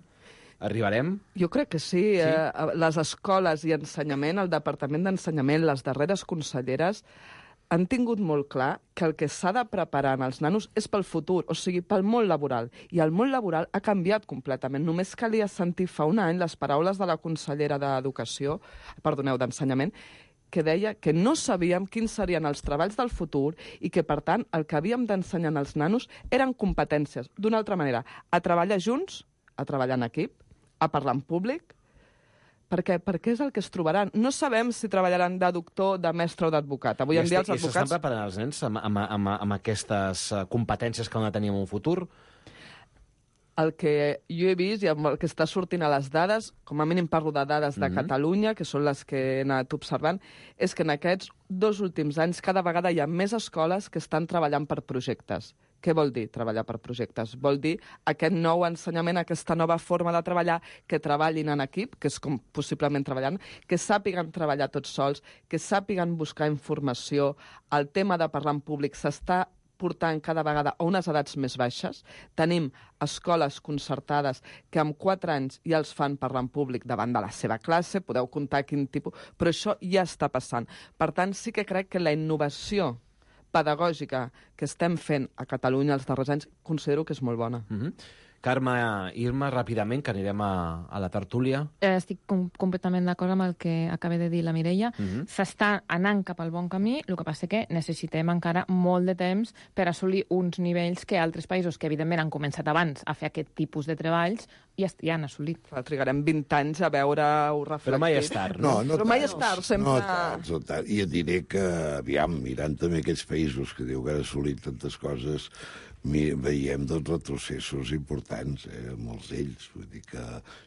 Arribarem? Jo crec que sí. sí? Eh, les escoles i ensenyament, el Departament d'Ensenyament, les darreres conselleres, han tingut molt clar que el que s'ha de preparar en els nanos és pel futur, o sigui, pel món laboral. I el món laboral ha canviat completament. Només calia sentir fa un any les paraules de la consellera d'Educació, perdoneu, d'Ensenyament, que deia que no sabíem quins serien els treballs del futur i que, per tant, el que havíem d'ensenyar als nanos eren competències. D'una altra manera, a treballar junts, a treballar en equip, a parlar en públic, perquè, perquè és el que es trobaran. No sabem si treballaran de doctor, de mestre o d'advocat. Avui en dia els advocats... I s'estan preparant els nens amb, amb, amb, amb aquestes competències que han de tenir en un futur? El que jo he vist i amb el que està sortint a les dades, com a mínim parlo de dades de Mhm. Catalunya, que són les que he anat observant, és que en aquests dos últims anys cada vegada hi ha més escoles que estan treballant per projectes. Què vol dir treballar per projectes? Vol dir aquest nou ensenyament, aquesta nova forma de treballar, que treballin en equip, que és com possiblement treballant, que sàpiguen treballar tots sols, que sàpiguen buscar informació. El tema de parlar en públic s'està portant cada vegada a unes edats més baixes. Tenim escoles concertades que amb quatre anys ja els fan parlar en públic davant de la seva classe, podeu comptar quin tipus... Però això ja està passant. Per tant, sí que crec que la innovació pedagògica que estem fent a Catalunya els darrers anys considero que és molt bona. Mm-hmm. Carme, Irma, ràpidament, que anirem a, a la tertúlia. Eh, estic com, completament d'acord amb el que acaba de dir la Mireia. Mhm. S'està anant cap al bon camí, el que passa que necessitem encara molt de temps per assolir uns nivells que altres països, que evidentment han començat abans a fer aquest tipus de treballs, ja, ja han assolit. Clar, trigarem vint anys a veure-ho reflectit. Però mai és tard, no? No, Però mai és tard, sempre... No tard, no tard. I et diré que, aviam, mirant també aquests països que diu que han assolit tantes coses, mi, veiem dos retrocessos importants, eh, molts d'ells. Vull dir que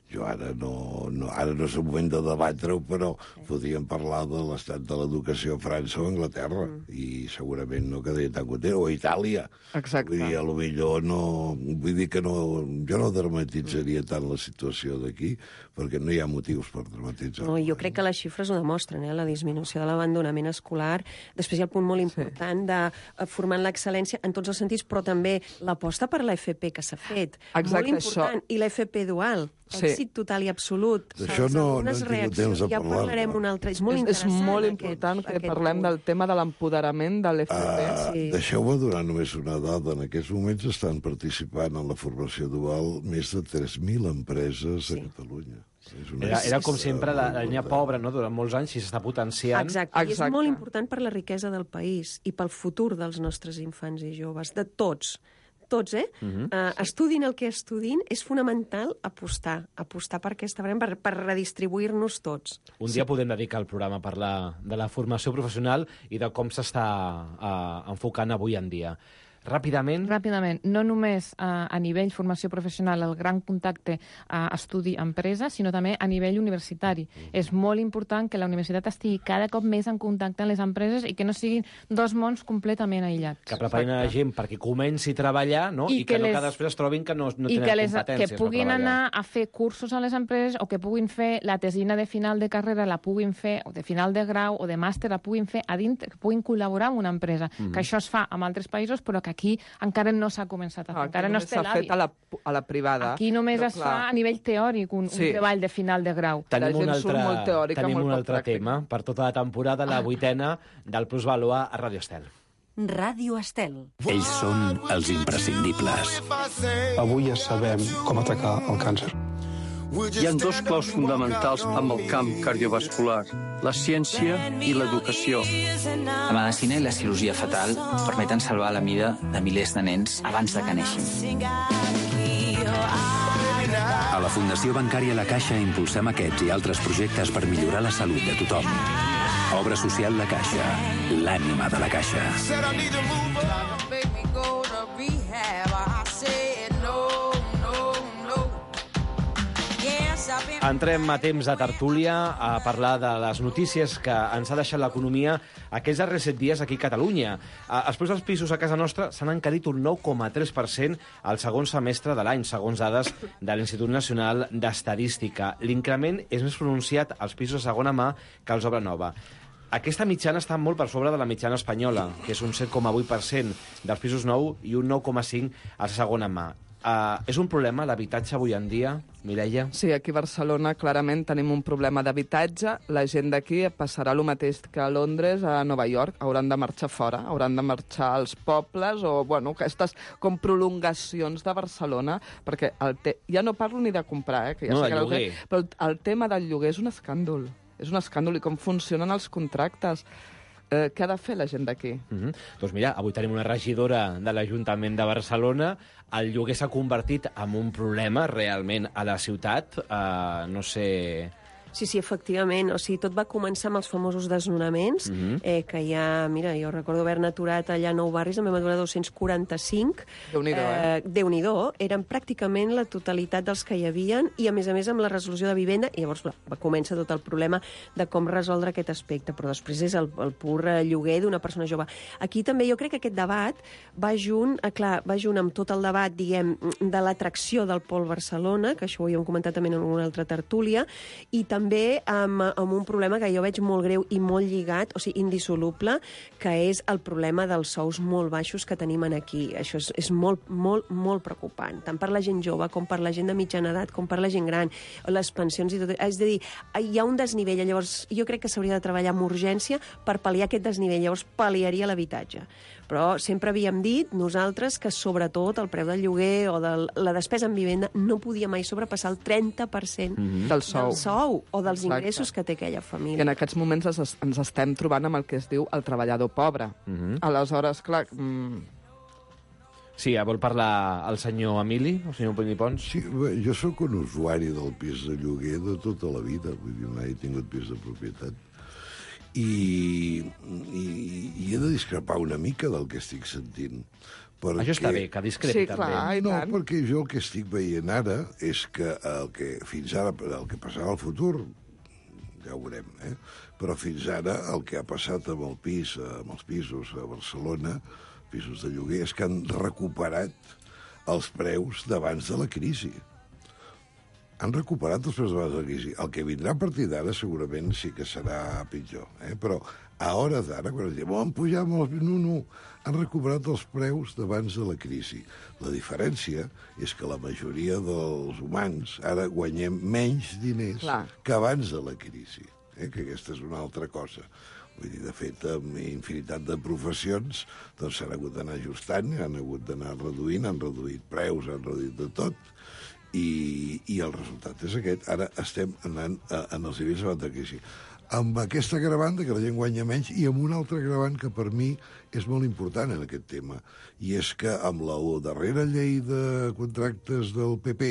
jo ara no, no, ara no és el moment de debatre-ho, però podríem parlar de l'estat de l'educació a França o a Anglaterra, mm. i segurament no quedaria tan content, o a Itàlia. Exacte. Vull dir, a lo millor no... Vull dir que no, jo no dramatitzaria tant la situació d'aquí, perquè no hi ha motius per dramatitzar. No, jo crec que les xifres ho demostren, eh? La disminució de l'abandonament escolar. Després hi ha el punt molt important sí. de formar en l'excel·lència en tots els sentits, però també l'aposta per l'F P que s'ha fet. Exacte, molt important. Això. I l'F P dual. Sí. Èxit total i absolut. D'això no, no hem tingut temps de ja parlar. parlarem un altre. És molt és, interessant. és molt aquest, important que aquest parlem punt. del tema de l'empoderament de l'F P. Uh, Sí. Deixeu-me donar només una dada. En aquests moments estan participant en la formació dual més de tres mil empreses sí. a Catalunya. És una Era, era com xifra sempre la, molt la línia important. pobra, no? Durant molts anys, i s'està potenciant. Exacte. I és Exacte. molt important per la riquesa del país i pel futur dels nostres infants i joves, de tots. Tots, eh? Mhm. Uh, estudin el que estudin, és fonamental apostar, apostar per aquesta barem, per, per redistribuir-nos tots. Un dia podem dedicar el programa a parlar de la formació professional i de com s'està uh, enfocant avui en dia. Ràpidament? Ràpidament. No només a, a nivell formació professional, el gran contacte a estudi-empresa, sinó també a nivell universitari. Mm. És molt important que la universitat estigui cada cop més en contacte amb les empreses i que no siguin dos mons completament aïllats. Que preparin a la gent perquè comenci a treballar, no? I, I que, que les... no que després es trobin que no, no tenen que les, competències. Que puguin anar a fer cursos a les empreses o que puguin fer la tesina de final de carrera, la puguin fer, o de final de grau o de màster, la puguin fer a dintre, que puguin col·laborar amb una empresa. Mm. Que això es fa en altres països, però que aquí encara no s'ha començat a fer. Ah, encara no es té l'hàbit. A la, a la privada. Aquí només es clar. fa a nivell teòric, un, sí. un treball de final de grau. Tenim un altre, molt teòrica, tenim molt un altre pràctic. tema per tota la temporada, la vuitena del Plusvalua a Ràdio Estel. Ràdio Estel. Ells són els imprescindibles. Avui ja sabem com atacar el càncer. Hi ha dos claus fonamentals amb el camp cardiovascular, la ciència i l'educació. La medicina i la cirurgia fetal permeten salvar la vida de milers de nens abans de que neixin. A la Fundació Bancària La Caixa impulsem aquests i altres projectes per millorar la salut de tothom. Obra social La Caixa, l'ànima de la Caixa. Entrem a temps de tertúlia a parlar de les notícies que ens ha deixat l'economia aquests darrers set dies aquí a Catalunya. Els preus dels pisos a casa nostra s'han encarit un nou coma tres per cent al segon semestre de l'any, segons dades de l'Institut Nacional d'Estadística. L'increment és més pronunciat als pisos de segona mà que als obra nova. Aquesta mitjana està molt per sobre de la mitjana espanyola, que és un set coma vuit per cent dels pisos nous i un nou coma cinc per cent a segona mà. Uh, és un problema l'habitatge avui en dia, Mireia? Sí, aquí a Barcelona clarament tenim un problema d'habitatge. La gent d'aquí passarà el mateix que a Londres, a Nova York. Hauran de marxar fora, hauran de marxar als pobles o, bueno, aquestes com prolongacions de Barcelona, perquè el te... ja no parlo ni de comprar, eh, que ja no, sé que el lloguer. El... Però el, el tema del lloguer és un escàndol. És un escàndol i com funcionen els contractes. Eh, què ha de fer la gent d'aquí? Mm-hmm. Doncs mira, avui tenim una regidora de l'Ajuntament de Barcelona. El lloguer s'ha convertit en un problema realment a la ciutat. Uh, no sé... Sí, sí, efectivament. O sigui, tot va començar amb els famosos desnonaments, mm-hmm. eh, que ja, mira, jo recordo haver-ne aturat allà a Nou Barris, en vam aturar dos-cents quaranta-cinc. Déu-n'hi-do, eh? eh? Déu-n'hi-do. Eren pràcticament la totalitat dels que hi havien, i a més a més amb la resolució de vivenda, i llavors va, va començar tot el problema de com resoldre aquest aspecte, però després és el, el pur lloguer d'una persona jove. Aquí també jo crec que aquest debat va junt, eh, clar, va junt amb tot el debat, diguem, de l'atracció del Pol Barcelona, que això ho havíem comentat també en una altra tertúlia, i també també amb, amb un problema que jo veig molt greu i molt lligat, o sigui, indissoluble, que és el problema dels sous molt baixos que tenim aquí. Això és, és molt, molt, molt preocupant, tant per la gent jove com per la gent de mitjana edat, com per la gent gran, les pensions i tot. És a dir, hi ha un desnivell, llavors jo crec que s'hauria de treballar amb urgència per pal·liar aquest desnivell, llavors pal·liaria l'habitatge. Però sempre havíem dit nosaltres que sobretot el preu del lloguer o de la despesa en vivenda no podia mai sobrepassar el trenta per cent mm-hmm. del sou, del sou o dels Exacte. ingressos que té aquella família. I en aquests moments ens, ens estem trobant amb el que es diu el treballador pobre. Mm-hmm. Aleshores, clar... Mm... Sí, vol parlar el senyor Emili, el senyor Pini Pons? Sí, bé, jo sóc un usuari del pis de lloguer de tota la vida, vull dir, mai he tingut pis de propietat. I, i, i he de discrepar una mica del que estic sentint. Perquè... Això està bé, que discrepi sí, també. Clar, no, perquè jo el que estic veient ara és que el que fins ara, el que passarà al futur, ja ho veurem, eh? Però fins ara el que ha passat amb el pis, amb els pisos a Barcelona, pisos de lloguer, és que han recuperat els preus d'abans de la crisi. Han recuperat els preus d'abans de la crisi. El que vindrà a partir d'ara segurament sí que serà pitjor, eh? Però a hores d'ara, quan es diu, oh, han pujat molt... No, no, han recuperat els preus d'abans de la crisi. La diferència és que la majoria dels humans ara guanyem menys diners Clar. que abans de la crisi, eh? Que aquesta és una altra cosa. Vull dir, de fet, amb infinitat de professions doncs s'han hagut d'anar ajustant, han hagut d'anar reduint, han reduït preus, han reduït de tot, i, i el resultat és aquest. Ara estem anant a, en els nivells abans de crisi. Amb aquesta agravant que la gent guanya menys i amb un altre agravant que per mi és molt important en aquest tema, i és que amb la darrera llei de contractes del P P,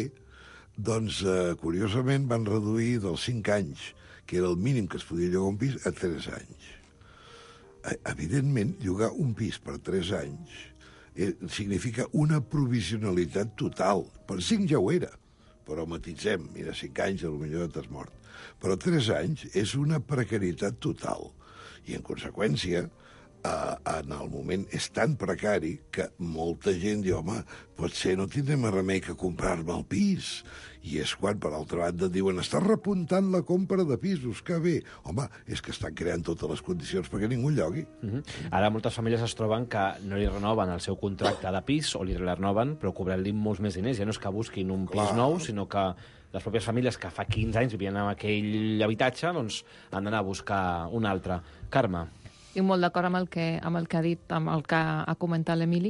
doncs, eh, curiosament, van reduir dels cinc anys, que era el mínim que es podia llogar un pis, a tres anys. Evidentment, llogar un pis per tres anys eh, significa una provisionalitat total. Per cinc ja ho era, però matitzem, mira, cinc anys potser t'has mort. Però tres anys és una precarietat total. I, en conseqüència, Uh, en el moment és tan precari que molta gent diu, home, potser no tindrem més remei que comprar-me el pis. I és quan, per altra banda, diuen, està repuntant la compra de pisos, que bé. Home, és que estan creant totes les condicions perquè ningú llogui. Uh-huh. Ara moltes famílies es troben que no li renoven el seu contracte de pis, o li renoven, però cobrant-li molts més diners. Ja no és que busquin un Clar. pis nou, sinó que les pròpies famílies que fa quinze anys vivien en aquell habitatge, doncs han d'anar a buscar un altre. Carme. Estic molt d'acord amb, el que, amb el que ha dit, amb el que ha comentat l'Emili,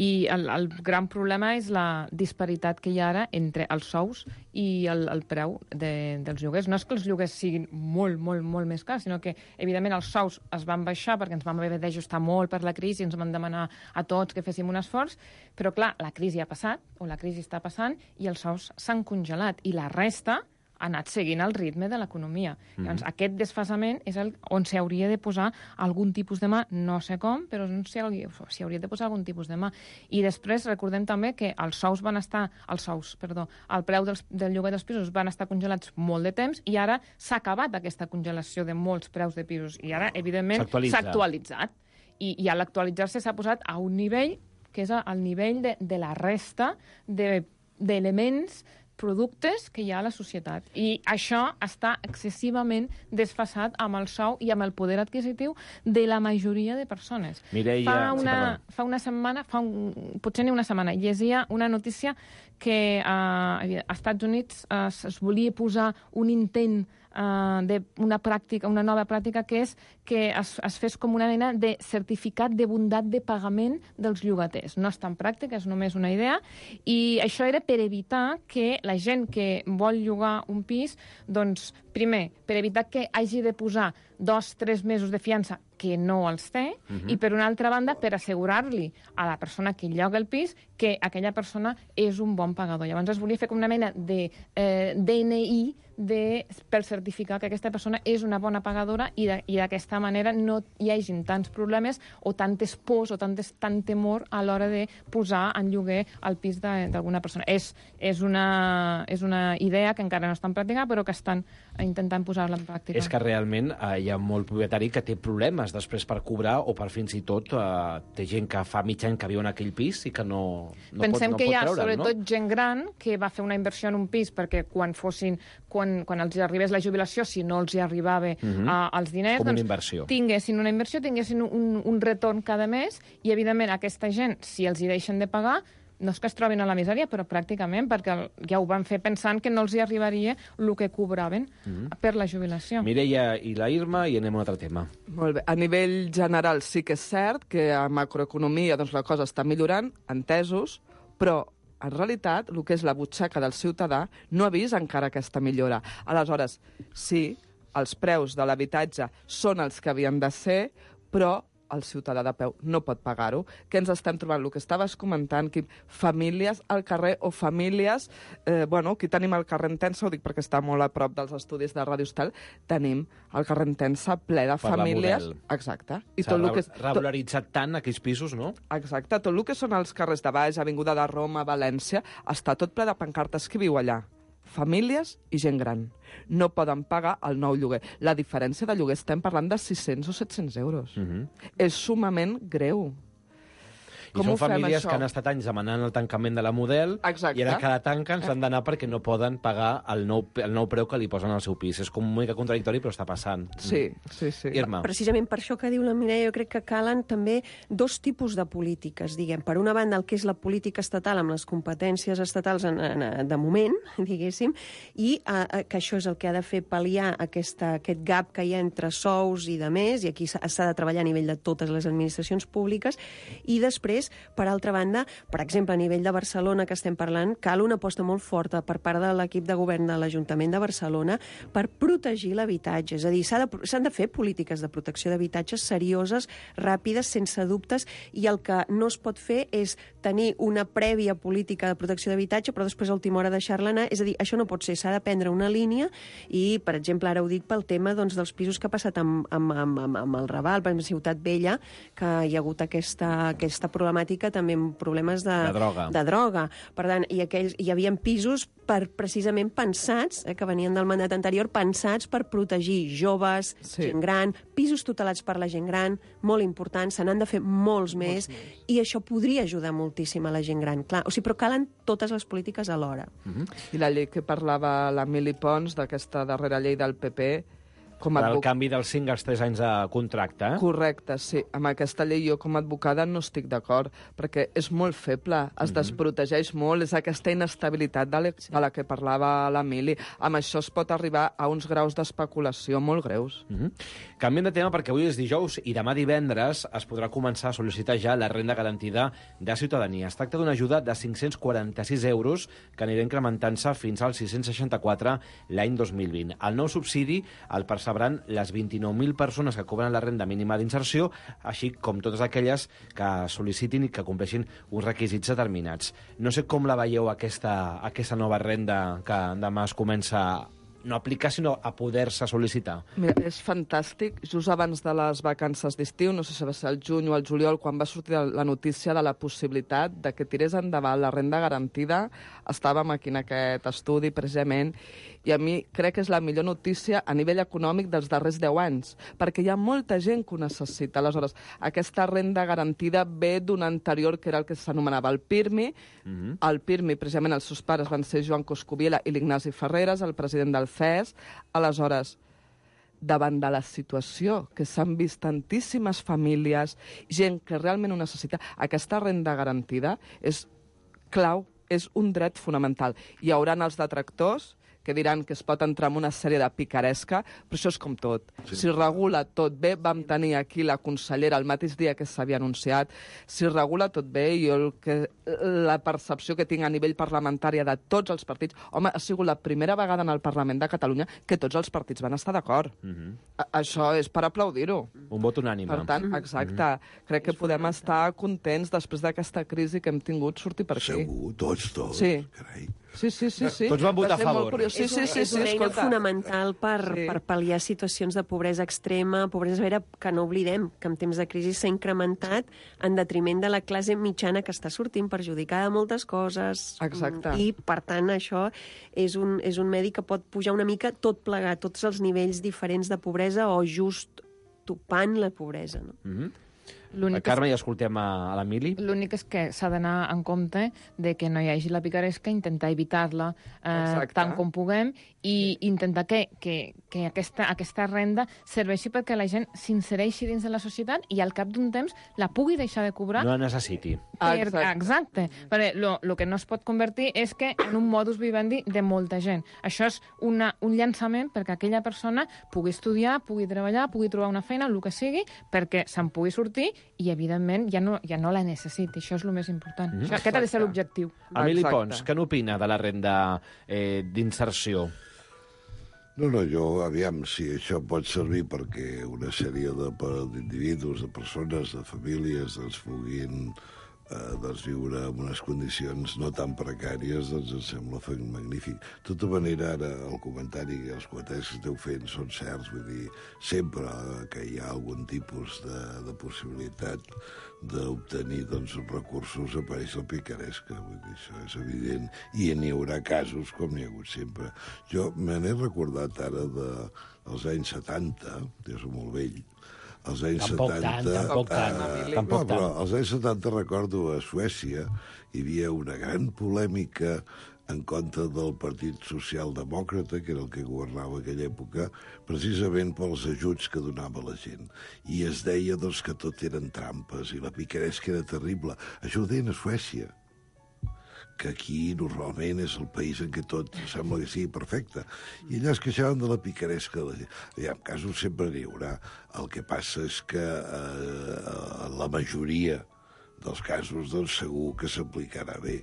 i el, el gran problema és la disparitat que hi ha ara entre els sous i el, el preu de, dels lloguers. No és que els lloguers siguin molt, molt, molt més cars, sinó que, evidentment, els sous es van baixar perquè ens vam haver d'ajustar molt per la crisi, ens van demanar a tots que féssim un esforç, però, clar, la crisi ha passat, o la crisi està passant, i els sous s'han congelat, i la resta ha anat seguint el ritme de l'economia. Mm-hmm. Llavors, aquest desfasament és el on s'hauria de posar algun tipus de mà, no sé com, però s'hi hauria, hauria de posar algun tipus de mà. I després recordem també que els sous van estar, els sous, perdó, el preu dels, del lloguer dels pisos van estar congelats molt de temps i ara s'ha acabat aquesta congelació de molts preus de pisos i ara, evidentment, s'ha actualitzat. I, i a l'actualitzar-se s'ha posat a un nivell que és el nivell de, de la resta d'elements de, productes que hi ha a la societat. I això està excessivament desfasat amb el sou i amb el poder adquisitiu de la majoria de persones. Mireia... Fa una, sí, fa una setmana, fa un, potser ni una setmana, llegia una notícia que uh, als Estats Units uh, es volia posar un intent uh, d'una pràctica, una nova pràctica que és que es, es fes com una mena de certificat de bondat de pagament dels llogaters. No és tan pràctica, és només una idea, i això era per evitar que la gent que vol llogar un pis, doncs, primer, per evitar que hagi de posar dos, tres mesos de fiança que no els té, uh-huh. i per una altra banda, per assegurar-li a la persona que lloga el pis que aquella persona és un bon pagador. Llavors es volia fer com una mena de eh, D N I de, per certificar que aquesta persona és una bona pagadora i d'aquesta manera no hi hagin tants problemes o tantes pors o tantes, tant temor a l'hora de posar en lloguer el pis d'alguna persona. És, és, una, és una idea que encara no estan practicant, però que estan intentant posar-la en pràctica. És que realment eh, hi ha molt propietari que té problemes després per cobrar o per fins i tot eh, té gent que fa mig any que viu en aquell pis i que no, no Pensem pot, no que pot hi ha treure'l, sobretot no? gent gran que va fer una inversió en un pis perquè quan fossin quan, quan els arribés la jubilació, si no els hi arribava uh-huh. uh, els diners, com doncs una inversió. tinguessin una inversió, tinguessin un, un retorn cada mes i, evidentment, aquesta gent, si els hi deixen de pagar, no és que es trobin a la misèria, però pràcticament, perquè ja ho van fer pensant que no els hi arribaria el que cobraven uh-huh. per la jubilació. Mireia i la Irma, i anem a un altre tema. Molt bé. A nivell general sí que és cert que a macroeconomia doncs, la cosa està millorant, entesos, però en realitat, el que és la butxaca del ciutadà no ha vist encara aquesta millora. Aleshores, sí, els preus de l'habitatge són els que havien de ser, però el ciutadà de peu no pot pagar-ho. Què ens estem trobant? El que estaves comentant, Quim, famílies al carrer o famílies... Eh, bueno, aquí tenim el carrer Entença, ho dic perquè està molt a prop dels estudis de Ràdio Estel, tenim el carrer Entença ple de per famílies... Exacte. I tot el que és... regularitzat tant aquells pisos, no? Exacte. Tot el que són els carrers de baix, Avinguda de Roma, València, està tot ple de pancartes. Qui viu allà? Famílies i gent gran. No poden pagar el nou lloguer. La diferència de lloguer estem parlant de sis-cents o set-cents euros. Uh-huh. És sumament greu. I Com són famílies això? que han estat anys demanant el tancament de la Model. Exacte. I ara cada tanca ens han d'anar perquè no poden pagar el nou, el nou preu que li posen al seu pis. És com una mica contradictori, però està passant. Sí, sí, sí. Irma. Precisament per això que diu la Mireia, jo crec que calen també dos tipus de polítiques, diguem. Per una banda, el que és la política estatal amb les competències estatals en, en, de moment, diguéssim, i eh, que això és el que ha de fer pal·liar aquesta, aquest gap que hi ha entre sous i de més, i aquí s'ha de treballar a nivell de totes les administracions públiques, i després, per altra banda, per exemple, a nivell de Barcelona, que estem parlant, cal una aposta molt forta per part de l'equip de govern de l'Ajuntament de Barcelona per protegir l'habitatge. És a dir, s'han de, s'han de fer polítiques de protecció d'habitatges serioses, ràpides, sense dubtes, i el que no es pot fer és tenir una prèvia política de protecció d'habitatge, però després a última hora deixar-la anar. És a dir, això no pot ser, s'ha de prendre una línia i, per exemple, ara ho dic pel tema doncs, dels pisos que ha passat amb, amb, amb, amb el Raval, per exemple, Ciutat Vella, que hi ha hagut aquesta, aquesta problemàtica problemàtica també amb problemes de, de, droga. de droga. Per tant, i aquells, hi havia pisos per, precisament pensats, eh, que venien del mandat anterior, pensats per protegir joves, sí. gent gran, pisos tutelats per la gent gran, molt important, se n'han de fer molts, molts més, més, i això podria ajudar moltíssim a la gent gran. Clar, o sigui, però calen totes les polítiques alhora. Uh-huh. I la llei que parlava l'Emili Pons, d'aquesta darrera llei del P P, com a el advoc... canvi dels cinc als tres anys de contracte. Eh? Correcte, sí. Amb aquesta llei jo com a advocada no estic d'acord, perquè és molt feble, es mm-hmm. desprotegeix molt, és aquesta inestabilitat de, sí. de la que parlava l'Emili. Amb això es pot arribar a uns graus d'especulació molt greus. Mm-hmm. Canviem de tema perquè avui és dijous i demà divendres es podrà començar a sol·licitar ja la renda garantida de ciutadania. Es tracta d'una ajuda de cinc-cents quaranta-sis euros que anirà incrementant-se fins als sis-cents seixanta-quatre l'any dos mil vint. El nou subsidi el percebran les vint-i-nou mil persones que cobren la renda mínima d'inserció, així com totes aquelles que sol·licitin i que compleixin uns requisits determinats. No sé com la veieu, aquesta, aquesta nova renda que demà es comença no a aplicar, sinó a poder-se sol·licitar. Mira, és fantàstic. Just abans de les vacances d'estiu, no sé si va ser el juny o el juliol, quan va sortir la notícia de la possibilitat de que tirés endavant la renda garantida, estàvem aquí en aquest estudi, precisament, i a mi crec que és la millor notícia a nivell econòmic dels darrers deu anys, perquè hi ha molta gent que ho necessita. Aleshores, aquesta renda garantida ve d'un anterior, que era el que s'anomenava el PIRMI. Mm-hmm. El PIRMI, precisament, els seus pares van ser Joan Coscubiela i l'Ignasi Ferreres, el president del C E S. Aleshores, davant de la situació que s'han vist tantíssimes famílies, gent que realment ho necessita, aquesta renda garantida és clau, és un dret fonamental. Hi haurà els detractors que diran que es pot entrar en una sèrie de picaresca, però això és com tot. Sí. Si regula tot bé, vam tenir aquí la consellera el mateix dia que s'havia anunciat, si regula tot bé, jo el que, la percepció que tinc a nivell parlamentari de tots els partits, home, ha sigut la primera vegada en el Parlament de Catalunya que tots els partits van estar d'acord. Mm-hmm. Això és per aplaudir-ho. Un vot unànime. Per tant, exacte, mm-hmm. crec que podem estar contents després d'aquesta crisi que hem tingut sortir per aquí. Segur, tots, tots, sí. carai. Sí, sí, sí, sí. Tots van votar a favor. Sí, sí, sí, és una sí, eina escolta. fonamental per, Sí. per pal·liar situacions de pobresa extrema, pobresa severa, que no oblidem que en temps de crisi s'ha incrementat en detriment de la classe mitjana que està sortint perjudicada de moltes coses. Exacte. I, per tant, això és un, és un medi que pot pujar una mica tot plegat, tots els nivells diferents de pobresa o just topant la pobresa. No? Mm-hmm. A Carme, ja escoltem a, a l'Emili. L'únic és que s'ha d'anar en compte de que no hi hagi la picaresca, intentar evitar-la eh, tant com puguem i intentar que, que, que aquesta, aquesta renda serveixi perquè la gent s'insereixi dins de la societat i al cap d'un temps la pugui deixar de cobrar. No la necessiti. Per, exacte. exacte. Perquè el que no es pot convertir és que en un modus vivendi de molta gent. Això és una, un llançament perquè aquella persona pugui estudiar, pugui treballar, pugui trobar una feina, el que sigui, perquè se'n pugui sortir i, evidentment, ja no, ja no la necessiti. Això és el més important. Mm-hmm. Això, aquest ha de ser l'objectiu. Emili Pons, què n'opina de la renda eh, d'inserció? No, no, jo, aviam, si això pot servir perquè una sèrie d'individus, de, de persones, de famílies, doncs puguin eh, doncs, viure en unes condicions no tan precàries, doncs em sembla magnífic. De tota manera, ara el comentari i els comentaris que esteu fent són certs, vull dir, sempre que hi ha algun tipus de, de possibilitat d'obtenir doncs, recursos apareix la picaresca, vull dir, això és evident, i n'hi haurà casos com n'hi ha hagut sempre. Jo me n'he recordat ara dels anys setanta, jo soc molt vell, als anys tampoc setanta... Tant, tampoc tant, eh, tampoc no, però tant. als anys setanta recordo a Suècia hi havia una gran polèmica en contra del Partit Socialdemòcrata, que era el que governava aquella època, precisament pels ajuts que donava la gent. I es deia doncs, que tot eren trampes i la picaresca era terrible. Això ho deien a Suècia, que aquí normalment és el país en què tot sembla que sigui perfecte. I allà es queixaven de la picaresca de la gent. Ja, en casos sempre n'hi haurà. El que passa és que eh, la majoria dels casos doncs, segur que s'aplicarà bé,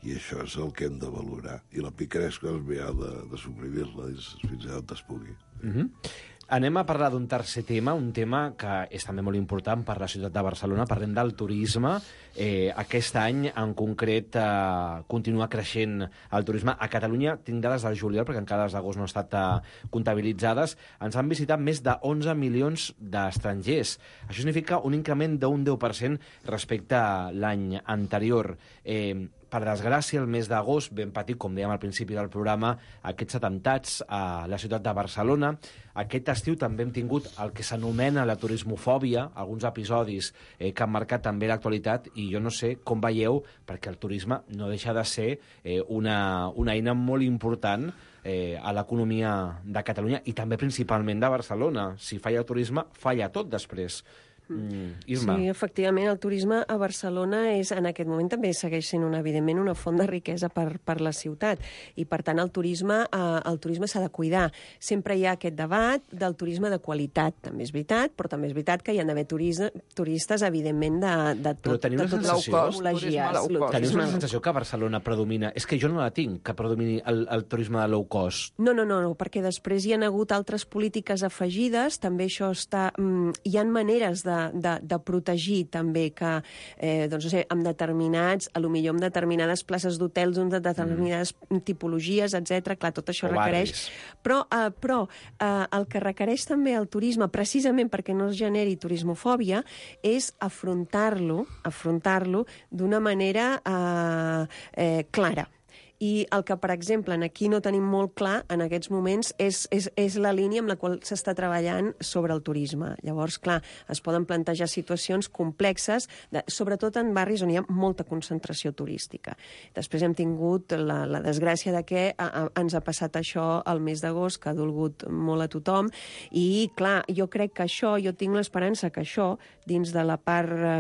i això és el que hem de valorar. I la picaresca doncs, ha de, de suprimir-la fins on es pugui. Mm-hmm. Anem a parlar d'un tercer tema, un tema que és també molt important per la ciutat de Barcelona. Parlem del turisme. Eh, aquest any, en concret, eh, continua creixent el turisme. A Catalunya tinc dades del juliol, perquè encara les d'agost no han estat eh, comptabilitzades. Ens han visitat més de onze milions d'estrangers. Això significa un increment d'un deu per cent respecte a l'any anterior. Eh, Per desgràcia, el mes d'agost vam patir, com dèiem al principi del programa, aquests atemptats a la ciutat de Barcelona. Aquest estiu també hem tingut el que s'anomena la turismofòbia, alguns episodis eh, que han marcat també l'actualitat, i jo no sé com veieu, perquè el turisme no deixa de ser eh, una, una eina molt important eh, a l'economia de Catalunya i també principalment de Barcelona. Si falla el turisme, falla tot després. Mm, Irma. Sí, efectivament, el turisme a Barcelona és, en aquest moment també segueix sent una, evidentment una font de riquesa per, per la ciutat, i per tant el turisme eh, el turisme s'ha de cuidar. Sempre hi ha aquest debat del turisme de qualitat, també és veritat, però també és veritat que hi ha d'haver turistes, evidentment, de, de tot, però teniu de tot la sensació, teniu una sensació que a Barcelona predomina, és que jo no la tinc, que predomini el, el turisme de low cost. No, no, no, no, perquè després hi ha hagut altres polítiques afegides, també això està... Mm, hi ha maneres de De, de protegir també que, eh, doncs no sé, amb determinats, a lo millor amb determinades places d'hotels, amb determinades mm. tipologies, etcètera. Clar, tot això o requereix... Barris. Però, eh, però eh, el que requereix també el turisme, precisament perquè no es generi turismofòbia, és afrontar-lo, afrontar-lo d'una manera eh, eh, clara. I el que, per exemple, aquí no tenim molt clar en aquests moments és, és, és la línia amb la qual s'està treballant sobre el turisme. Llavors, clar, es poden plantejar situacions complexes, de, sobretot en barris on hi ha molta concentració turística. Després hem tingut la, la desgràcia de que a, a, ens ha passat això al mes d'agost, que ha dolgut molt a tothom, i, clar, jo crec que això, jo tinc l'esperança que això, dins de la part eh,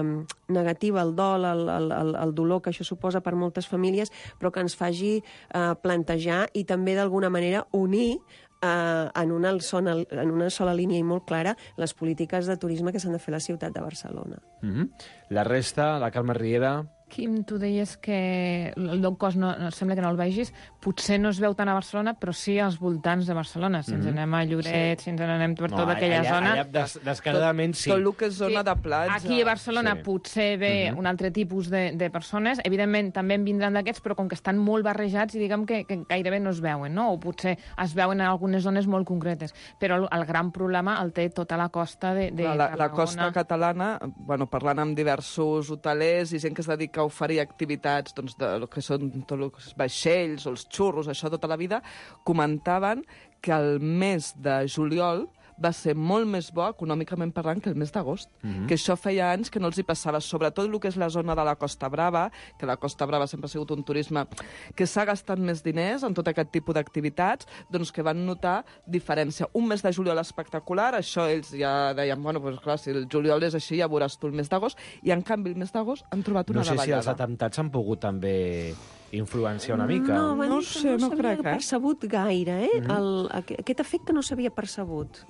negativa, el dol, el, el, el, el dolor que això suposa per moltes famílies, però que ens faci Uh, plantejar i també d'alguna manera unir uh, en, una sola, en una sola línia i molt clara les polítiques de turisme que s'han de fer a la ciutat de Barcelona. Mm-hmm. La resta, la Carme Riera... Quim, tu deies que el low cost no, no, sembla que no el vegis, potser no es veu tant a Barcelona, però sí als voltants de Barcelona. Si ens mm-hmm. anem a Lloret, sí. si ens anem per no, tota aquella allà, zona... Allà des, descaradament sí. Tot el que és zona sí. de platja. Aquí a Barcelona sí. potser ve mm-hmm. un altre tipus de, de persones. Evidentment, també en vindran d'aquests, però com que estan molt barrejats i diguem que, que gairebé no es veuen, no? O potser es veuen en algunes zones molt concretes. Però el, el gran problema el té tota la costa de, de la, la costa catalana, bueno, parlant amb diversos hotelers i gent que es dedica a oferir activitats doncs, de lo que són tot el que és vaixells o els xurros, això tota la vida, comentaven que el mes de juliol va ser molt més bo, econòmicament parlant, que el mes d'agost. Mm-hmm. Que això feia anys que no els hi passava, sobretot el que és la zona de la Costa Brava, que la Costa Brava sempre ha sigut un turisme que s'ha gastat més diners en tot aquest tipus d'activitats, doncs que van notar diferència. Un mes de juliol espectacular, això ells ja deien, bueno, doncs clar, si el juliol és així, ja veuràs tu el mes d'agost, i en canvi el mes d'agost han trobat una davallada. No sé si els atemptats han pogut també influenciar una mica. No, no, sé, no, no crec, eh? percebut gaire, eh? Mm-hmm. el, aquest efecte no s'havia percebut.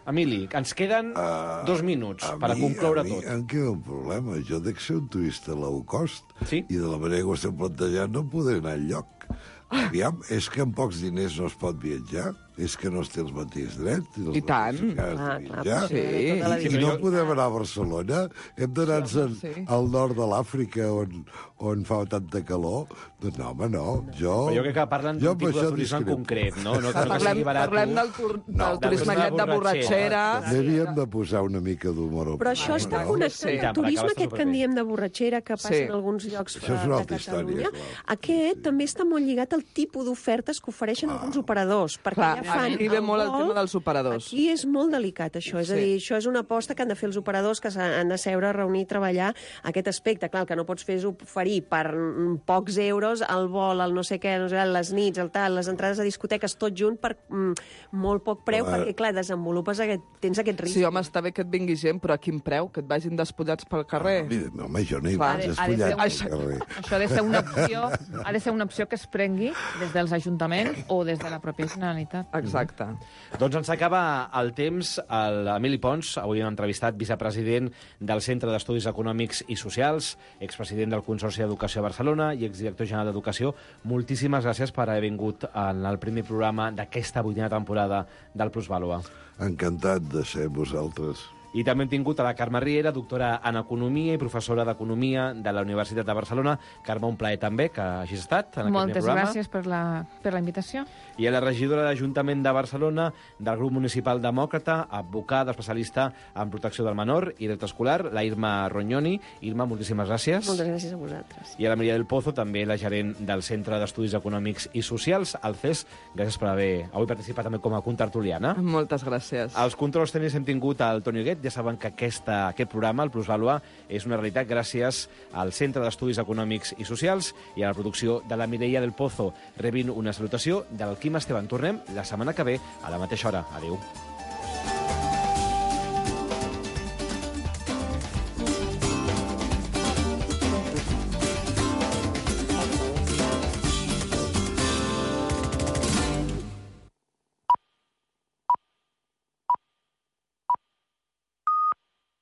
Emili, ens queden uh, dos minuts per a concloure a mi, tot. Em queda un problema. Jo dec ser un turista low cost sí? i de la manera que ho estem plantejant no podré anar enlloc. Aviam, és que amb pocs diners no es pot viatjar? És que no es té els mateixos drets? I, I tant. Ah, clar, sí. I, I no podem anar a Barcelona? Hem d'anar-nos sí, sí. al nord de l'Àfrica on, on fa tanta calor? Doncs no, home, no. Jo, però jo crec que parlen d'un tipus de turisme en concret, no? no, no parlem, parlem del, tur, del no, turisme aquest de borratxera. També havíem de posar una mica d'humor. Però això ah, està no? connectat sí. al turisme aquest que en diem de borratxera que passa sí. en alguns llocs de Catalunya. Història, aquest també està molt lligat al tipus d'ofertes que ofereixen ah. alguns operadors, perquè clar, ja fan aquí ve molt el tema dels operadors. Aquí és molt delicat, això. És sí. a dir, això és una aposta que han de fer els operadors, que han de seure, reunir, treballar aquest aspecte. Clar, el que no pots fer és oferir per pocs euros el vol, el no sé què, no sé, les nits, el tal, les entrades a discoteques, tot junt per mm, molt poc preu, uh, perquè, clar, desenvolupes aquest, tens aquest risc. Sí, home, està bé que et vingui gent, però a quin preu? Que et vagin despullats pel carrer? No, home, jo no hi vaig despullat pel carrer. Això ha de ser una opció, ha de ser una opció que es prengui des dels ajuntaments o des de la pròpia Generalitat. Exacte. Mm-hmm. Doncs ens acaba el temps. L'Emili Pons, avui hem entrevistat, vicepresident del Centre d'Estudis Econòmics i Socials, expresident del Consorci d'Educació de Barcelona i exdirector general d'Educació. Moltíssimes gràcies per haver vingut en el primer programa d'aquesta vuitena temporada del Plusvàlua. Encantat de ser vosaltres. I també hem tingut a la Carme Riera, doctora en Economia i professora d'Economia de la Universitat de Barcelona. Carme, un plaer també que hagis estat en aquest Moltes programa. gràcies per la, per la invitació. I a la regidora de l'Ajuntament de Barcelona, del grup municipal demòcrata, advocada, especialista en protecció del menor i dret escolar, la Irma Rognoni. Irma, moltíssimes gràcies. Moltes gràcies a vosaltres. I a la Maria del Pozo, també la gerent del Centre d'Estudis Econòmics i Socials, el C E S. Gràcies per haver avui participat també com a contertuliana. Moltes gràcies. Als controls tècnics hem tingut el Toni Huguet. Ja saben que aquesta, aquest programa, el Plusvàlua, és una realitat gràcies al Centre d'Estudis Econòmics i Socials i a la producció de la Mireia del Pozo. Rebin una salutació del Quim Esteban. Tornem la setmana que ve a la mateixa hora. Adéu.